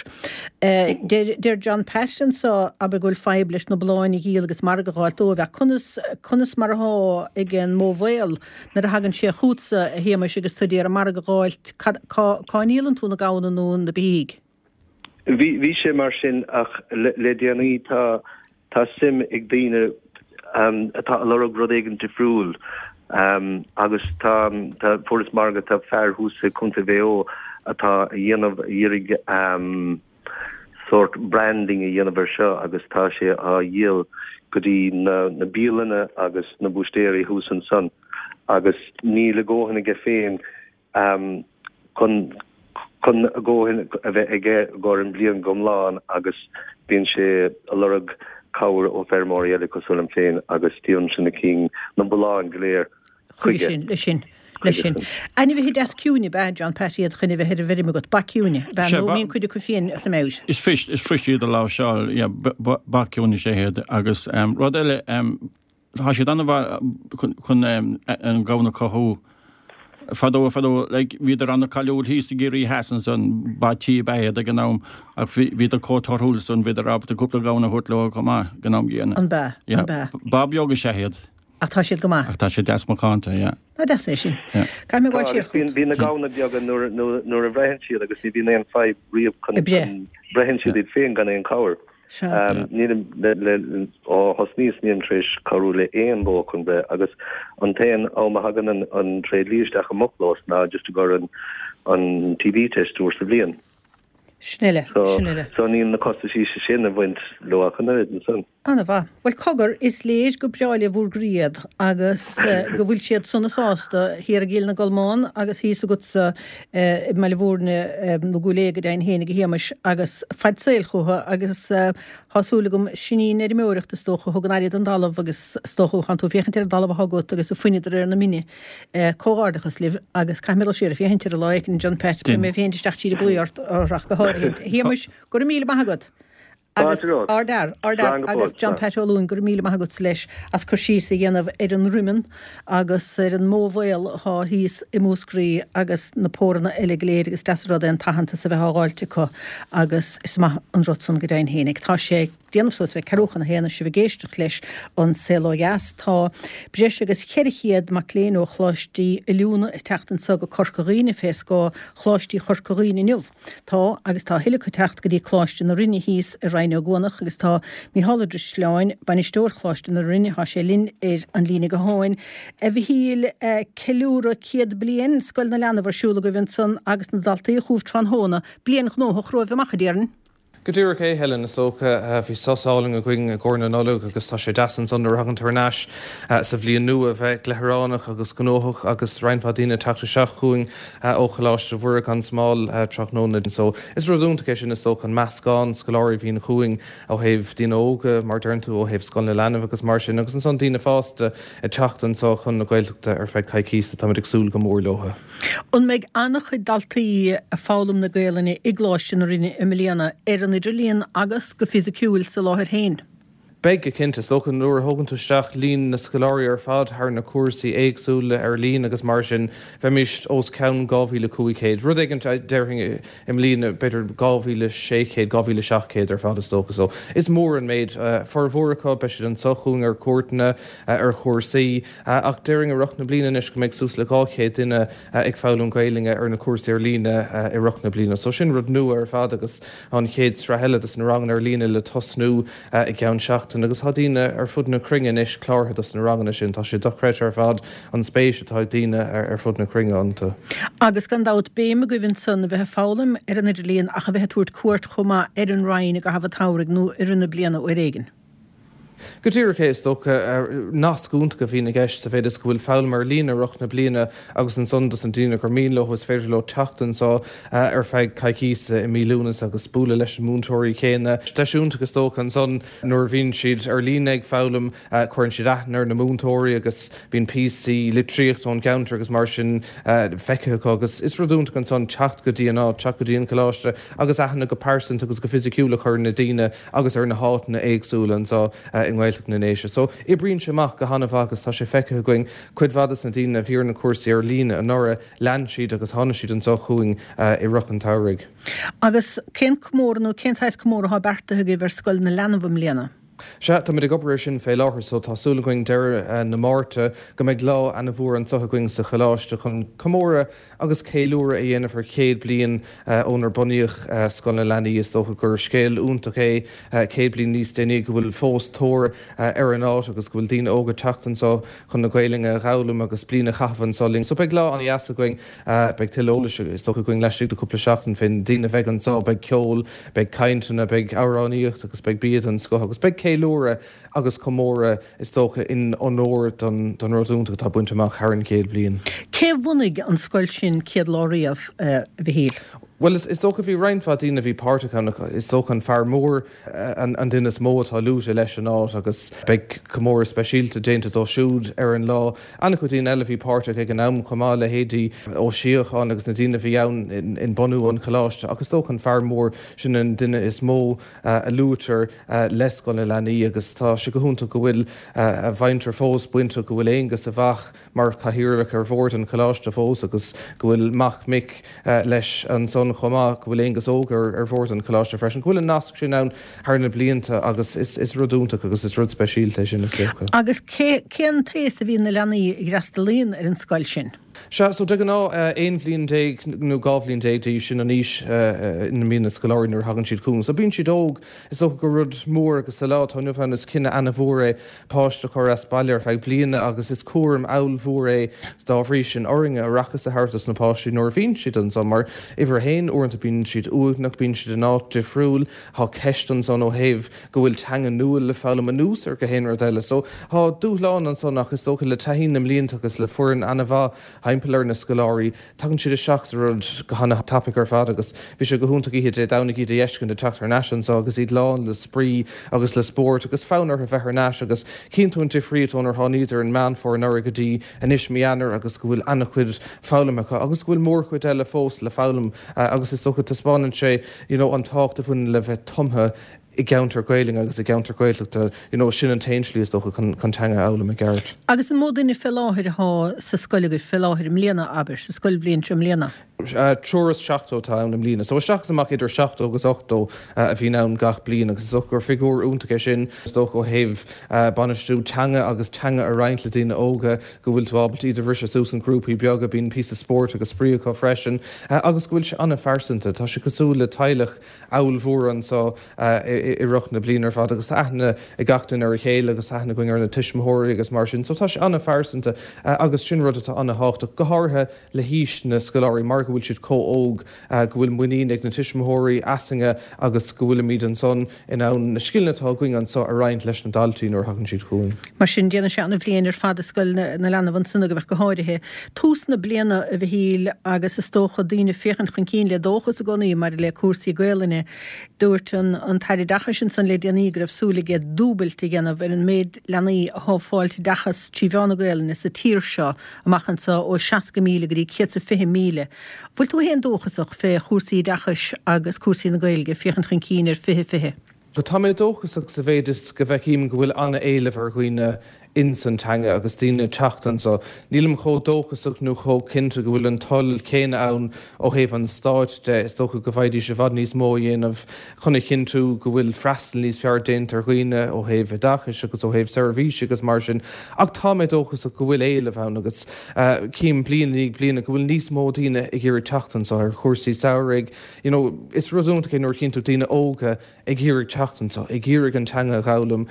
Deir John Pat anseo, abair, go bhfuil fadhb leis na bulláin a dhíol agus margadh a dh'fháilt dóibh, ach conas, conas mar athá ag an mbó mhaol nuair a thagann sé chughatsa, a Shéamais, agus tú d'iarraidh margadh a dh'fháilt, cad, cá, cá ndíolann tú na gamhna nó na beithígh? Bhí, bhí sé mar sin ach le, le déanaí tá, tá suim ag daoine atá ag lorg rud éigin difriúil agus tá, tá, fuaireas margadh, tá fear thuas i Contae Mhaigh Eo atá a dhéanamh, a iarraidh sórt branding a dhéanamh ar seo agus tá sé á dhíol go dtí na, na bialanna agus na búistéirí thuas ansan agus níl a dhóthain aige féin chun chun a dhóthain a bheith aige i gcomhair an bhliain go hiomlán agus bíonn sé ag lorg cabhair ó feirmeoirí eile cosúil liom féin agus díolaimse na cinn, na bulláin go léir chuige. Chuige sin, leis sin, leis sin. Ainmhithe deas ciúine ab ea John Pat iad chun a bheith ar an bhfeirm agat, ba ciúine ab ea nó mbíonn cuid acu fiain sa mbeoir. Is fuirist, is fuirist iad a láimhseáil, yeah, ba ciúine is ea iad agus rud eile, Tá siad an-mhaith chun an gamhain a chothú. Fadó, fadó, like, bhíodar an-cáiliúil thíos i gCiarraí Theas ansan, ba tí ab ea iad ag an am ach bhíodar chomh torthúil san, bhíodar ábalta cúpla gamhain a thabhairt leo chomh maith ag an am gcéanna. An b'ea? Yeah. An b'ea? Ba beag is ea iad. Ach tá siad go maith. Ach tá siad deas macánta, yeah. Nach deas é sin. Yeah. Caithfidh mé Tá, gabháil siar agus bíonn, chugat. bíonn na gamhna beaga nuair, nuair, nuair a bhreitheann siad agus ní bhíonn aon fadhb riamh chun, Ag breith. chun, breitheann siad iad féin gan aon cabhair. Sea. Nílim, le, ó thosnaíos, nílim tar éis cabhrú le aon bhó chun breith agus an t-aon am a thagann an, an tréidlia isteach i mo chlós ná just i gcomhair an, an TB test uair sa bhliain. Sin uile, So, sin uile. so níl na costaisí sin ag baint leo ach an oiread ansan. Ana-mhaith. Bhuel, cogar, is léir go breá le bhur gcroí iad agus go bhfuil siad sona sásta thiar i gCill na gColmán agus thíos agatsa i mBaile Mhúirne, nó Cúil Aodha go deimhin féinig, a Shéamais, agus fad saoil chucu agus tá súil agam, sin í an fheirmeoireacht is dócha, a thugann aire don dtalamh agus is dócha, thánn tú ag féachaint ar an dtalamh atá agat agus ag fuineadh de réir na mine. Comhghairdeachas libh agus caithfidh mé dul siar ag féachaint air lá éicint, John Pat, beidh mé ag féachaint isteach tríd an gclaí ort ach go háirithe. A Shéamais, go raibh míle maith agat! Agus ardfhear, ardfhear agus John Pat Ó Luain, go raibh míle maith agatsa leis as cur síos a dhéanamh ar an Droimeann agus ar an mbó mhaol athá thíos i Múscraí agus na póranna eile go léir agus deas an rud é an t-aitheantas a bheith á dh'fháilt acu agus is maith an rud san go deimhin fhéinig. Tá sé ag déanamh suas le ceathrú chun a haon is sibh ag éisteacht leis An Saol Ó Dheas. Tá breis agus ceithre chéad mac léinn ó choláistí oiliúna ag teacht anso go Corca Dhuibhne fé scáth Choláistí Chorca Dhuibhne inniu. Tá, agus tá a thuilleadh acu ag teacht go dtí Coláiste na Rinne thíos i Rinn Ó gCuanach agus tá Mícheál Ó Drisleáin, Bainisteoir Choláiste na Rinne, thá sé linn ar an líne gutháin. A Mhichíl, ceiliúradh céad bliain Scoil na Leanbh ar siúl agaibh ansan agus na daltaí chugaibh tráthnóna. Bliain ghnóthach romhaibh amach, a déarfainn. Go díreach é, Helen, is dócha. Bhí sos álainn againn i gcomhair na Nollag agus tá sé deas ansan nuair a thagann tú thar n-ais sa bhliain nua a bheith gleithireánach agus gnóthach agus roinnt mhaith daoine ag teacht isteach chugainn ó Choláiste Mhuire gan Smál tráthnóna. So is rud iontach é sin is dócha, an meascán scoláirí a bhíonn chugainn ó thaobh daoine óga, mar deireann tú, ó thaobh Scoil na Leanbh agus mar sin agus ansan daoine fásta ag teacht anso chun na Gaeltachta ar feadh coicíse. Táimid ag súil go mór leo. An mbeidh an-chuid daltaí ag foghlaim na Gaelainne i gColáiste na Rinne i mbliana, ar an idirlíon agus go fisiciúil sa láthair féin? Beidh go cinnte. Is dócha nuair a thógann tú isteach líon na scoláirí ar fad thar na cúrsaí éagsúla ar líne agus mar sin, bheimis os cionn dhá mhíle cúig chéad, rud éigin déarfainn i mbliana, b'fhéidir dhá mhíle sé chéad, dhá mhíle seacht gcéad ar fad is dócha. So is mór an méid. Formhór acu, beidh siad anseo chugainn ar cuairteanna, ar chúrsaí, ach déarfainn i rith na bliana anois go mbeidh suas le dhá chéad duine ag foghlaim Gaelainne ar na cúrsaí ar líne i rith na bliana. So sin rud nua ar fad agus an chéad sraith eile dos na ranganna ar líne le tosnú i gceann seachtain agus tá daoine ar fud na cruinne anois cláraithe dos na ranganna sin. Tá sé dochreidte ar fad an spéis atá ag daoine ar fud na cruinne iontu. Agus gan dabht béim agaibh ansan a bheith ag foghlaim ar an idirlíon ach a bheith ag tabhairt cuairt chomh maith ar an Rinn i gcaitheamh an tsamhraidh nó i rith na bliana uair éigin. Go díreach é, is dócha. Nasc iontach a bhíonn i gceist sa mhéid is go bhfuil foghlaim ar líne i rith na bliana agus ansan dos na daoine gur mian leo is féidir leo teacht anseo ar feadh coicíse i mí Lúnasa agus bualadh leis na múinteoirí céanna. Deis iontach is dócha ansan nuair a bhíonn siad ar líne ag foghlaim cuireann siad aithne ar na múinteoirí agus bíonn píosaí litríochta ón gceantar agus mar sin feicthe acu agus is rud iontach ansan teacht go dtí an áit, teacht go dtí an coláiste agus aithne go pearsanta agus go fisiciúil a chur ar na daoine agus ar na háiteanna éagsúla anseo i nGaeltacht na nDéise. So, oibríonn sé amach go han-mhaith agus tá sé feicthe againn, cuid mhaith des na daoine a bhí ar na cúrsaí ar líne anuraidh, lean siad agus tháinig siad anseo chugainn i rith an tsamhraidh. Agus cén comóradh nó cén saghas comóradh atá beartaithe agaibh ar Scoil na Leanbh i mbliana? Sea, táimid ag obair air sin fé láthair so tá súil againn deireadh na Márta go mbeidh lá ana-mhór anseo againn sa choláiste chun comóradh agus ceiliúradh a dhéanamh ar chéad bliain ónar bunaíodh Scoil na Leanaí. Is dócha gur scéal iontach é céad bliain níos déanaí go bhfuil fós tóir ar an áit agus go bhfuil daoine óga ag teacht anseo chun na Gaelainne a dh'fhoghlaim agus bliain a chaitheamh anseo linn. So beidh lá an-dheas againn. Beidh tuilleadh eolais is dócha againn laistigh de chúpla seachtain fén daoine a bheidh anseo. Beidh ceol, beidh cainteanna, beidh amhránaíocht agus beidh bia den scoth agus beidh ceiliúradh agus comóradh is dócha in onóir don rud iontach atá bainte amach thar an chéad bliain. Cé a bhunaigh an scoil sin céad lá riamh, a Mhichíl? Bhuel, is dócha bhí roinnt mhaith daoine a bhí páirteach ann ach is dócha an fear mór an duine is mó atá luaite leis an áit agus beidh comóradh speisialta déanta dó siúd ar an lá. An-chuid daoine eile a bhí páirteach ag an am chomh maith, leithéidí Ó Síocháin agus na daoine a bhí ann in bunú an choláiste ach is dócha an fear mór sin an duine is mó a luaitear le Scoil na Leanaí agus tá sé go hiontach go bhfuil a mhuintir fós bainteach, go bhfuil Aonghus, a mhac, mar chathaoirleach ar bhord an choláiste fós agus go bhfuil mac mic leis ansan chomh maith, go bhfuil Aonghus Óg ar bhord an choláiste freisin, go bhfuil an nasc sin ann thar na blianta agus is rud iontach agus is rud speisialta é sin is dócha. Agus cén t-aos a bhíonn na leanaí a fhreastalaíonn ar an scoil sin? Sea, so de ghnáth aon bhliain déag nó dhá bhliain déag d'aois, sin an aois ina mbíonn na scoláirí nuair a thagann siad chugainn. So bíonn siad óg, is dócha gur rud mór agus sa lá atá inniu ann is cinneadh ana-mhór é páiste a chur as baile ar feadh bliana agus is cúram ollmhór é dá bhrí sin orainne aireachas a thabhairt dos na páistí nuair a bhíonn siad anso mar uimhir a haon uaireanta bíonn siad uaigneach, bíonn siad in áit difriúil, tá ceist ansan ó thaobh go bhfuil teanga nua le foghlaim anuas ar gach aon rud eile. So tá dúshlán ansan ach is dócha le taithí na mblianta agus le foireann ana-mhaith thimpeall ar na scoláirí, tagann siad isteach sa rud go hana-thapaidh ar fad agus bhí sé go hiontach oíche Dé Domhnaigh iad a fheiscint ag teacht thar n-ais anso agus iad lán le spraoi agus le spórt agus fonn orthu bheith thar n-ais agus chíonn tú an difríocht ónar tháiníodar in Meán Fómhair anuraidh go dtí anois mí Eanáir agus go bhfuil ana-chuid foghlamtha acu agus go bhfuil mórchuid eile fós le foghlaim agus is dócha taispeánann sé you know an tábhacht a bhaineann le bheith tumtha i gceantar Gaelainne agus i gceantar Gaeltachta, you know, sin an t-aon slí is dócha chun chun teanga a fhoghlaim i gceart. Agus an mó duine fé láthair athá sa scoil agaibh fé láthair i mbliana, abair, sa scoilbhliain seo i mbliana? Triúr is seachtó atá ann i mbliana. So isteach is amach idir seachtó agus ochtó a bhíonn ann gach bliain agus is dócha gur figiúr iontach é sin, is dócha ó thaobh bainistiú teanga agus teanga a roinnt le daoine óga, go bhfuil tú ábalta iad a bhriseadh suas in grúpaí beaga, bíonn píosa spóirt agus spraoi acu freisin agus go bhfuil sé an-phearsanta. Tá sé cosúil le teaghlach ollmhór anso i rith na bliana ar fad agus tá aithne ag gach duine ar a chéile agus tá aithne againn ar na tuismitheoirí agus mar sin. So tá sé an-phearsanta agus sin rud atá an-thábhachtach, go háirithe le haois na scoláirí mar go bhfuil siad chomh óg, go bhfuil muinín ag na tuismitheoirí asainne agus go bhfuilimid ansan in ann na scileanna atá againn anso a roinnt leis na daltaí nuair a thagann siad chugainn. Mar sin, déanann sé an-bhliain ar fad i Scoil na Leanbh ansan agaibh ach go háirithe. Tús na bliana, a Mhichíl, agus is dócha daoine ag féachaint chun cinn le dóchas i gcónaí maidir le cúrsaí Gaelainne. Dúirt an tAire Oideachais ansan le déanaí go raibh súil aige dúbailt a dhéanamh ar an méid leanaí athá ag fáilt oideachas trí mheán na Gaelainne sa tír seo amach anso ó seasca míle go dtí céad 's a fiche míle. Bhfuil tú fhéin dóchasach fé chúrsaí oideachais agus cúrsaí na Gaeilge, féachaint chun cinn ar fiche fiche? Tá mé dóchasach sa mhéid is go bhfeicim go bhfuil an-éileamh ar dhaoine ins an teanga agus daoine ag teacht anseo. Nílim chomh dóchasach nó chomh cinnte go bhfuil an toil céanna ann ó thaobh an stáit de. Is dócha go bhféadfaidís i bhfad níos mó a dhéanamh chun a chinntiú go bhfuil freastal níos fearr déanta ar dhaoine ó thaobh oideachais agus ó thaobh seirbhísí agus mar sin. Ach tá mé dóchasach go bhfuil éileamh ann agus cím bliain i ndiaidh bliana go bhfuil níos mó daoine ag iarraidh teacht anseo ar chúrsaí samhraidh. You know, is rud iontach é nuair a chíonn tú daoine óga ag iarraidh teacht anseo, ag iarraidh an teanga a dh'fhoghlaim.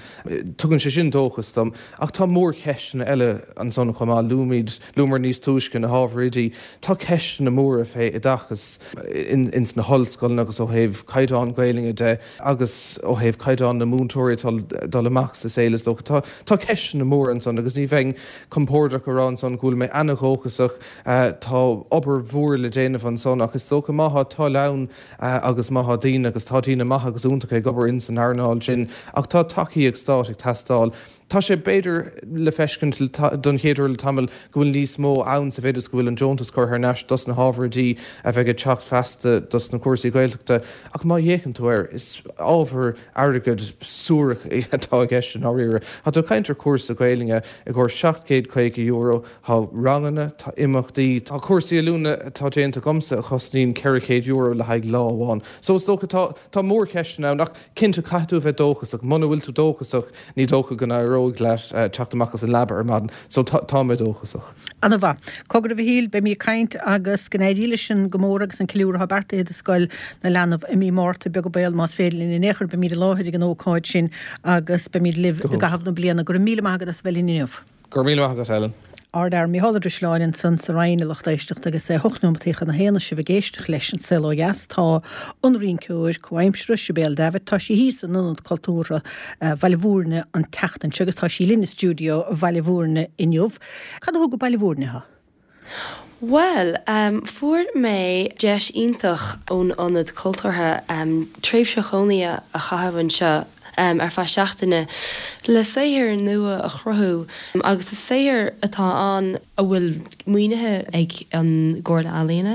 Tugann sé sin dóchas dom. Ach tá mórcheisteanna eile ansan chomh maith. Luaimid, luamar níos túisce na hábhair oidí. Tá ceisteanna móra fé oideachas ins na hollscoileanna agus ó thaobh caighdeán Gaelainne de agus ó thaobh caighdeán na múinteoirí atá ag dul amach sa saol is dócha. Tá, tá ceisteanna móra ansan agus ní bheinn compordach a rá ansan go bhfuil mé ana-dhóchasach. Tá obair mhór le déanamh ansan ach is dócha má thá toil ann agus má thá daoine, agus tá daoine maithe agus iontacha ag obair ins an earnáil sin, ach tá tacaíocht stáit ag teastáil. Tá sé, b'fhéidir, le feiscint don chéad uair le tamall go bhfuil níos mó ann sa mhéid is go bhfuil an deontas curtha thar n-ais dos na hábhair oidí a bheidh ag teacht feasta dos na cúrsaí Gaeltachta ach má fhéachann tú air, is ábhar airgid suarach atá i gceist i ndáiríre. Tá tú ag caint ar chúrsa Gaelainne i gcomhair seacht gcéad caoga euro, tá ranganna, tá imeachtaí, tá cúrsaí oiliúna atá déanta agamsa a chosnaíonn ceithre chéad euro le haghaidh lá amháin. So is dócha tá tá mórcheisteanna ann ach cinnte caithfidh tú a bheith dóchasach. Muna bhfuil tú dóchasach ní dócha go n-éireoidh leat teacht amach as an leaba ar maidin. So tá tá mé dóchasach. Ana mhaith. Cogar a Mhichíl, beimid ag caint agus go n-éirí leis an gcomóradh agus an ceiliúradh atá beartaithe do Scoil na Leanbh i mí Márta, beag an baol más féidir linn in aon chor, beimid i láthair ag an ócáid sin agus beimid libh i gcaitheamh na bliana. Go raibh míle maith agat as a bheith linn inniu. Go raibh míle maith agat, Ellen. Ard-Fhear Mícheál Ó Drisleáin ansan sa Rinn, a lucht éisteachta, agus é hocht nóimeataí chun a haon is sibh ag éisteacht leis An Saol Ó Dheas. Tá an rinceoir comhaimseartha, Sibéal Davitt, tá sí thíos in Ionad Cultúrtha Bhaile Bhúirne an tseachtain seo agus tá sí linn i stiúideo Bhaile Bhúirne inniu. Cad a thug go Baile Bhúirne thú? Bhuel, fuair mé deis iontach ón Ionad Cultúrtha tréimhse chónaithe a chaitheamh anseo ar feadh seachtaine le saothar nua a chruthú agus is saothar atá ann a bhfuil maoinithe ag an gComhairle Ealaíona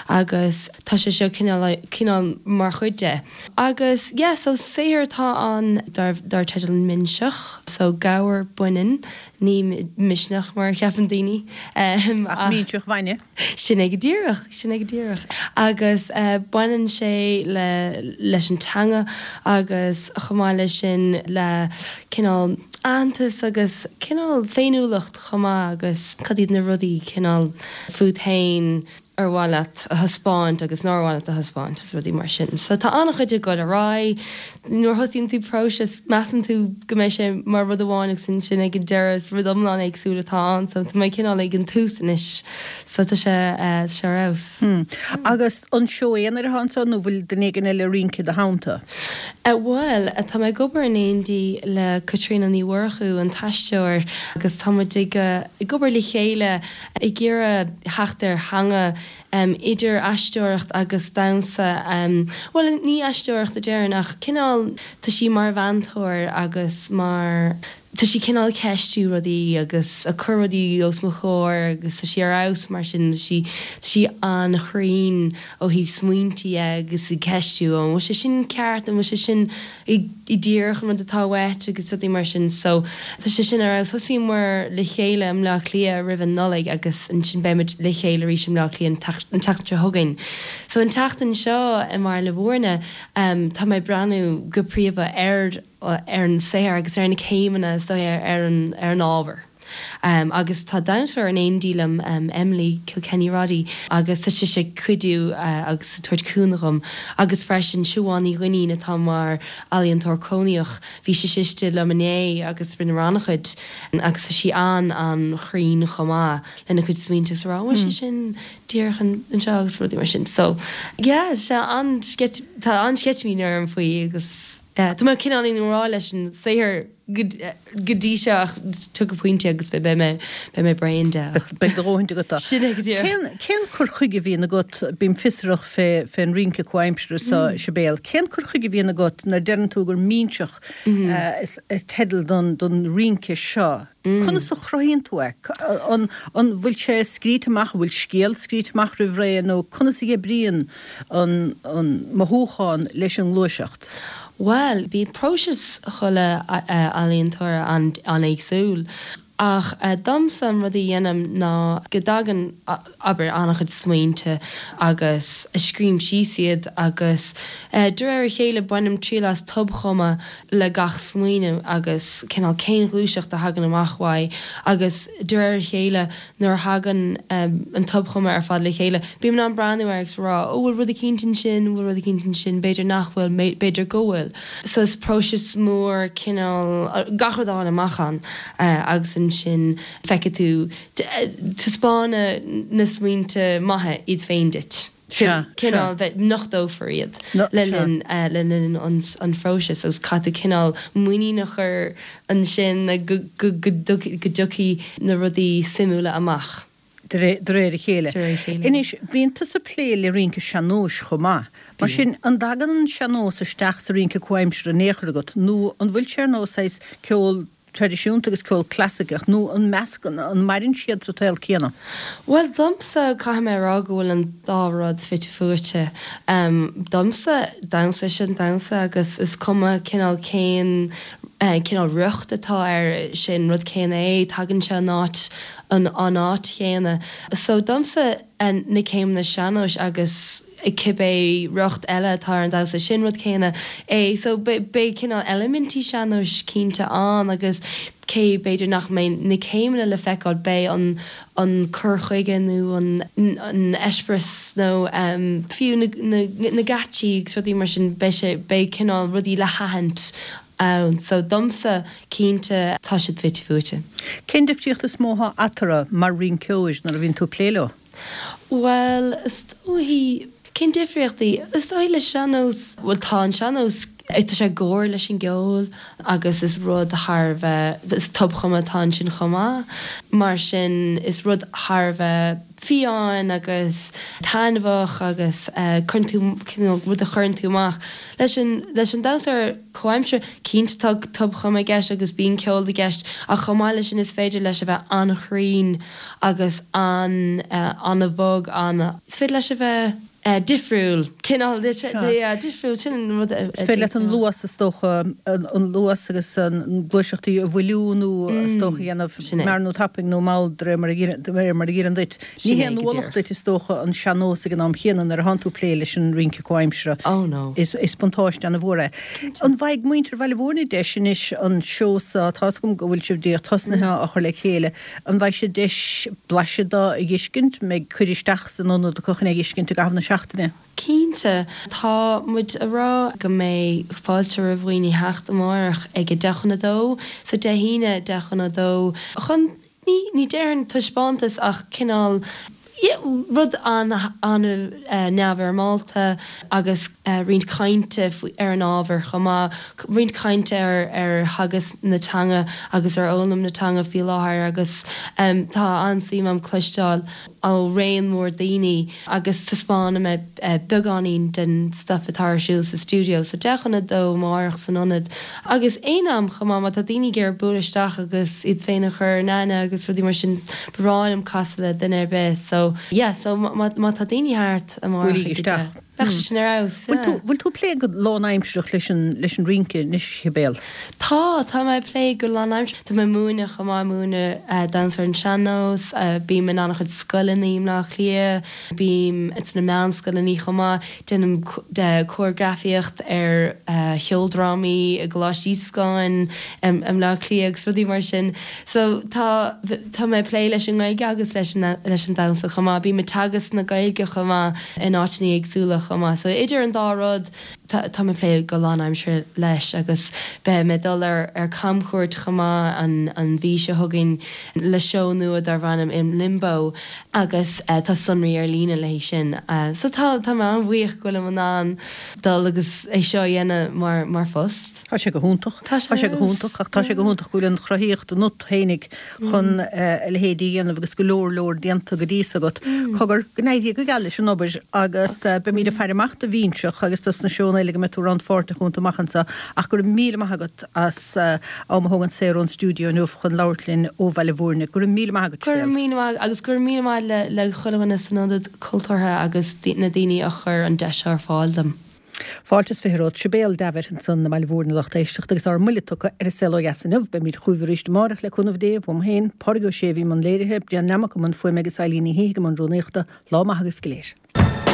agus tá sé seo cineál cineál mar chuid de. Agus yeah so saothar atá ann dar dar teideal Minseach so gabhar baineann Ní misneach mar a cheapann daoine. Ach minseach bhainne. Sin é go díreach, sin é go díreach. Agus baineann sé le, leis an teanga agus chomh maith leis sin le cineál aitheantas agus cineál féiniúlacht chomh maith agus cad iad na rudaí cineál fút féin ar mhaith leat a thaispeáint agus nár mhaith leat a thaispeáint is rudaí mar sin. So tá an-chuid ag dul ar aghaidh. Nuair a thosaíonn tú próiseas, measann tú go mbeidh sé mar rud amháin agus ansin ag an deireadh is rud iomlán éagsúil atá ann. So tá mé cineál ag an tús anois. So tá sé, tá sé ar fheabhas. Hmm. Agus an seó aonair atá anseo nó bhfuil duine éigin eile ag rince i do theannta? Bhuel, tá mé ag obair in éindí le Caitríona Ní Mhurchú, an t-aisteoir, agus tá muid ag, ag obair le chéile ag iarraidh theacht ar theanga idir aisteoireacht agus damhsa, bhuel, ní aisteoireacht a déarfainn ach cineál, tá sí mar mheantóir agus mar, tá sí cineál ag ceistiú rudaí agus ag cur rudaí os mo chomhair agus tá sí ar fheabhas mar sin, tá sí, tá sí an-chruinn ó thaobh smaointe dhe agus ag ceistiú an bhfuil sé sin ceart, an bhfuil sé sin díreach an rud atá uait agus rudaí mar sin so tá sé sin ar fheabhas. Thosaíomar le chéile i mBleá Cliath roimh an Nollaig agus ansin beimid le chéile arís i mBleá Cliath an tseachtain seo chugainn. So an tseachtain seo i mBaile Bhúirne tá mé ag breathnú go príomha ar ar an saothar agus ar na céimeanna is dóigh ar an ar an ábhar. Agus tá damhsóir in éindí liom, Emily Kilkenny Roddy, agus tá sise ag cuidiú agus ag tabhairt cúnamh dhom. Agus freisin Siobhán Ní Dhuinnín atá mar ealaíontóir cónaíoch, bhí sise istigh liom inné agus rinneamar an-chuid agus tá sí an-an-chruinn chomh maith lena cuid smaointe agus a rá an bhfuil sé sin díreach anseo agus rudaí mar sin. So yeah, tá an-sceitimíní orm faoi agus. Tá mé cineál i ngrá leis an saothar go dtí seo ach tiocfaidh pointe agus beidh mé beidh mé bréan de ach. Beidh do dhóthain agat de. Sin é go díreach. Cén cén cur chuige a bhíonn agat, bím fiosrach fé fén rince comhaimseartha seo, Sibéal, cén cur chuige a bhíonn agat nuair a deireann tú gur minseach is is teideal don don rince seo, conas a chruthaíonn tú é? An an bhfuil sé scríte amach, an bhfuil scéal scríte amach roimh ré nó conas a oibríonn an an mothúchán leis an ngluaiseacht? Bhuel, bíonn próiseas chuile ealaíontóra an-éagsúil. Ach domsa an rud a dhéanaim ná go dtagann, abair, an-chuid smaointe agus scríobhaim síos iad agus de réir a chéile bainim triail as tobchumadh le gach smaoineamh agus cineál cén ghluaiseacht a thagann amach uaidh agus de réir a chéile nuair a thagann an tobchumadh ar fad le chéile bím in ann breathnú air agus rá ó bhfuil rud eicínt ansin, bhfuil rud eicínt ansin, b'fhéidir nach bhfuil, b'fhéidir go bhfuil. So is próiseas mór cineál gach rud a fháil amach ann agus ansin feicfidh tú, taispeánfaidh na smaointe maithe iad féin duit. Cineál bheith, nochtófar iad le linn, le linn an phróisis agus caithfidh tú cineál muinín a chur ansin go dtiocfaidh na rudaí suimiúla amach. De réir a chéile. Anois, bíonn tusa ag plé le rince sean-nóis chomh maith. Mar sin, an dtagann an sean-nós isteach sa rince comhaimseartha in aon chor agat nó an bhfuil sé ar nós saghas ceol traidisiúnta agus ceol clasaiceach nó an meascann, an maireann siad sa tsaol céanna? Bhuel, domsa, caithfidh mé a rá go bhfuil an dá rud fite fuaite. Domsa, damhsa sin damhsa agus is cuma cineál cén cineál riocht atá air, sin rud céanna é, tagann sé ón áit, an áit chéanna. So domsa na céimeanna sean-nóis agus cibé riocht eile atá ar an damhsa, sin rud céanna é. So beidh cineál eilimintí sean-nóis cinnte ann agus cé b'fhéidir nach mbeidh na céimeanna le feiceáil, beidh an an cur chuige nó an an eispéireas nó fiú na na geáitsí agus rudaí mar sin, beidh sé, beidh cineál rudaí le haithint ann. So domsa, cinnte, tá siad fite fuaite. Cén difríocht is mó atá eatarthu mar rinceoir nuair a bhíonn tú ag plé leo? Bhuel, is dóichí, cén difríochtaí? Is dóichí le sean-nós, bhuel tá an sean-nós, tá sé i gcomhar leis an gceol agus is rud thar a bheith, is tobchumadh atá ansin chomh maith. Mar sin is rud thar a bheith fiáin agus taitneamhach agus cuireann tú, cineál rud a chuireann tú amach. Leis an, leis an damhsa comhaimseartha, cinnte tá tobchumadh i gceist agus bíonn ceol i gceist ach chomh maith leis sin is féidir leis a bheith an-chruinn agus an, an-bhog, an, is féidir leis a bheith difriúil, cineál difriúil, sin an rud a. Is féidir leat an luas is dócha, an luas agus an gluaiseachtaí a mhoilliú nó is dócha a dhéanamh mear nó tapaidh nó mall de réir mar a fhóireann duit. Ní haon ualach duit is dócha an sean-nós ag an am chéanna nuair atánn tú ag plé leis an rince comhaimseartha. Oh no. Is buntáiste an-mhór é. An bhfaighidh muintir Bhaile Mhúirne deis anois an seó so, tá's agam go bhfuil sibh díreach tosnaithe á chur le chéile, an bhfaighidh siad deis blaiseadh de a dh'fheiscint, mbeidh cuireadh isteach san ionad acu chun é a dh'fheiscint i gcaitheamh na seachtaine? Cinnte. Tá muid a rá go mbeidh fáilte roimh dhaoine theacht amárach ag a deich chun a dó, so Dé hAoine deich chun a dó, chun, ní, ní déarfainn taispeántas ach cineál, yeah, rud an-neamhfhoirmeálta agus roinnt cainte ar an ábhar chomh maith, roinnt cainte ar ar theagasc na teanga agus ar fhoghlaim na teanga faoi láthair agus tá an-suim agam cloisteáil ó raon mór daoine agus taispeánfaidh mé beagáinín den stuif atá ar siúl sa stiúideo. So deich chun a dó amárach san ionad agus aon am chomh maith má tá daoine ag iarraidh bualadh isteach agus iad féin a chur in aithne agus rudaí mar sin, ba bhreá liom casadh le duine ar bith. So yeah, so má má tá daoine thart amárach Buailígí ag a isteach. deich, bheadh sé sin ar fheabhas, Bhfuil tú yeah. bhfuil tú ag plé go lánaimsearach leis an leis an rince anois, Sibéal? Tá, tá mé ag plé go lánaimsearach. Tá mé ag múineadh chomh maith, múineadh damhsa ar an sean-nós, bím in an-chuid scoileanna i mBleá Cliath, bím sna meánscoileanna chomh maith, déanaim córagrafaíocht ar cheoldrámaí i gColáiste Íosacáin i mBleá Cliath agus rudaí mar sin. So tá, tá mé ag plé leis an nGaeilge agus leis an leis an damhsa chomh maith. Bím ag teagasc na Gaeilge chomh maith in áiteanna éagsúla chomh maith. So idir an dá rud tá tá mé ag plé go lánaimseartha leis agus beidh mé ag dul ar ar camchuairt chomh maith an an mhí seo chugainn le seó nua darb ainm In Limbo agus tá sonraí ar líne le haghaidh sin. So tá tá mé an-bhuíoch go bhfuilim in ann dul agus é seo a dhéanamh mar mar phost. Tá sé go hiontach. Tá sé Tá sé go hiontach ach tá sé go hiontach go bhfuil an chruthaíocht ionat fhéinig chun a leithéidí a dhéanamh agus go leor leor déanta go dtí so agat. Cogar, go n-éirí go geal leis an obair agus beimid ag faire amach do Bhinseach agus dos na seónna eile go mbeidh tú rannpháirteach iontu amach anseo ach go raibh míle maith agat as am a thógaint saor ón stiúideo inniu chun labhairt linn ó Bhaile Mhúirne. Go raibh míle maith agat, Go raibh Sibéal. míle maith agus go raibh míle maith le le chuile dhuine san Ionad Cultúrtha agus na daoine a chuir an deis seo ar fáil dom. Fáilte is fiche romhat Sibéal Davitt ansan i mBaile Mhúirne a lucht éisteachta agus ár mbuille tugtha ar an Saol Ó Dheas inniu. Beimid chugaibh arís amárach le cúnamh Dé, uaim féin, Pádraig Ó Sé a bhí i mbun léirithe, Brian Nammock i mbun fuaime agus Eileen Ní hÍthigh i mbun rúnaíochta. Lá maith agaibh go léir.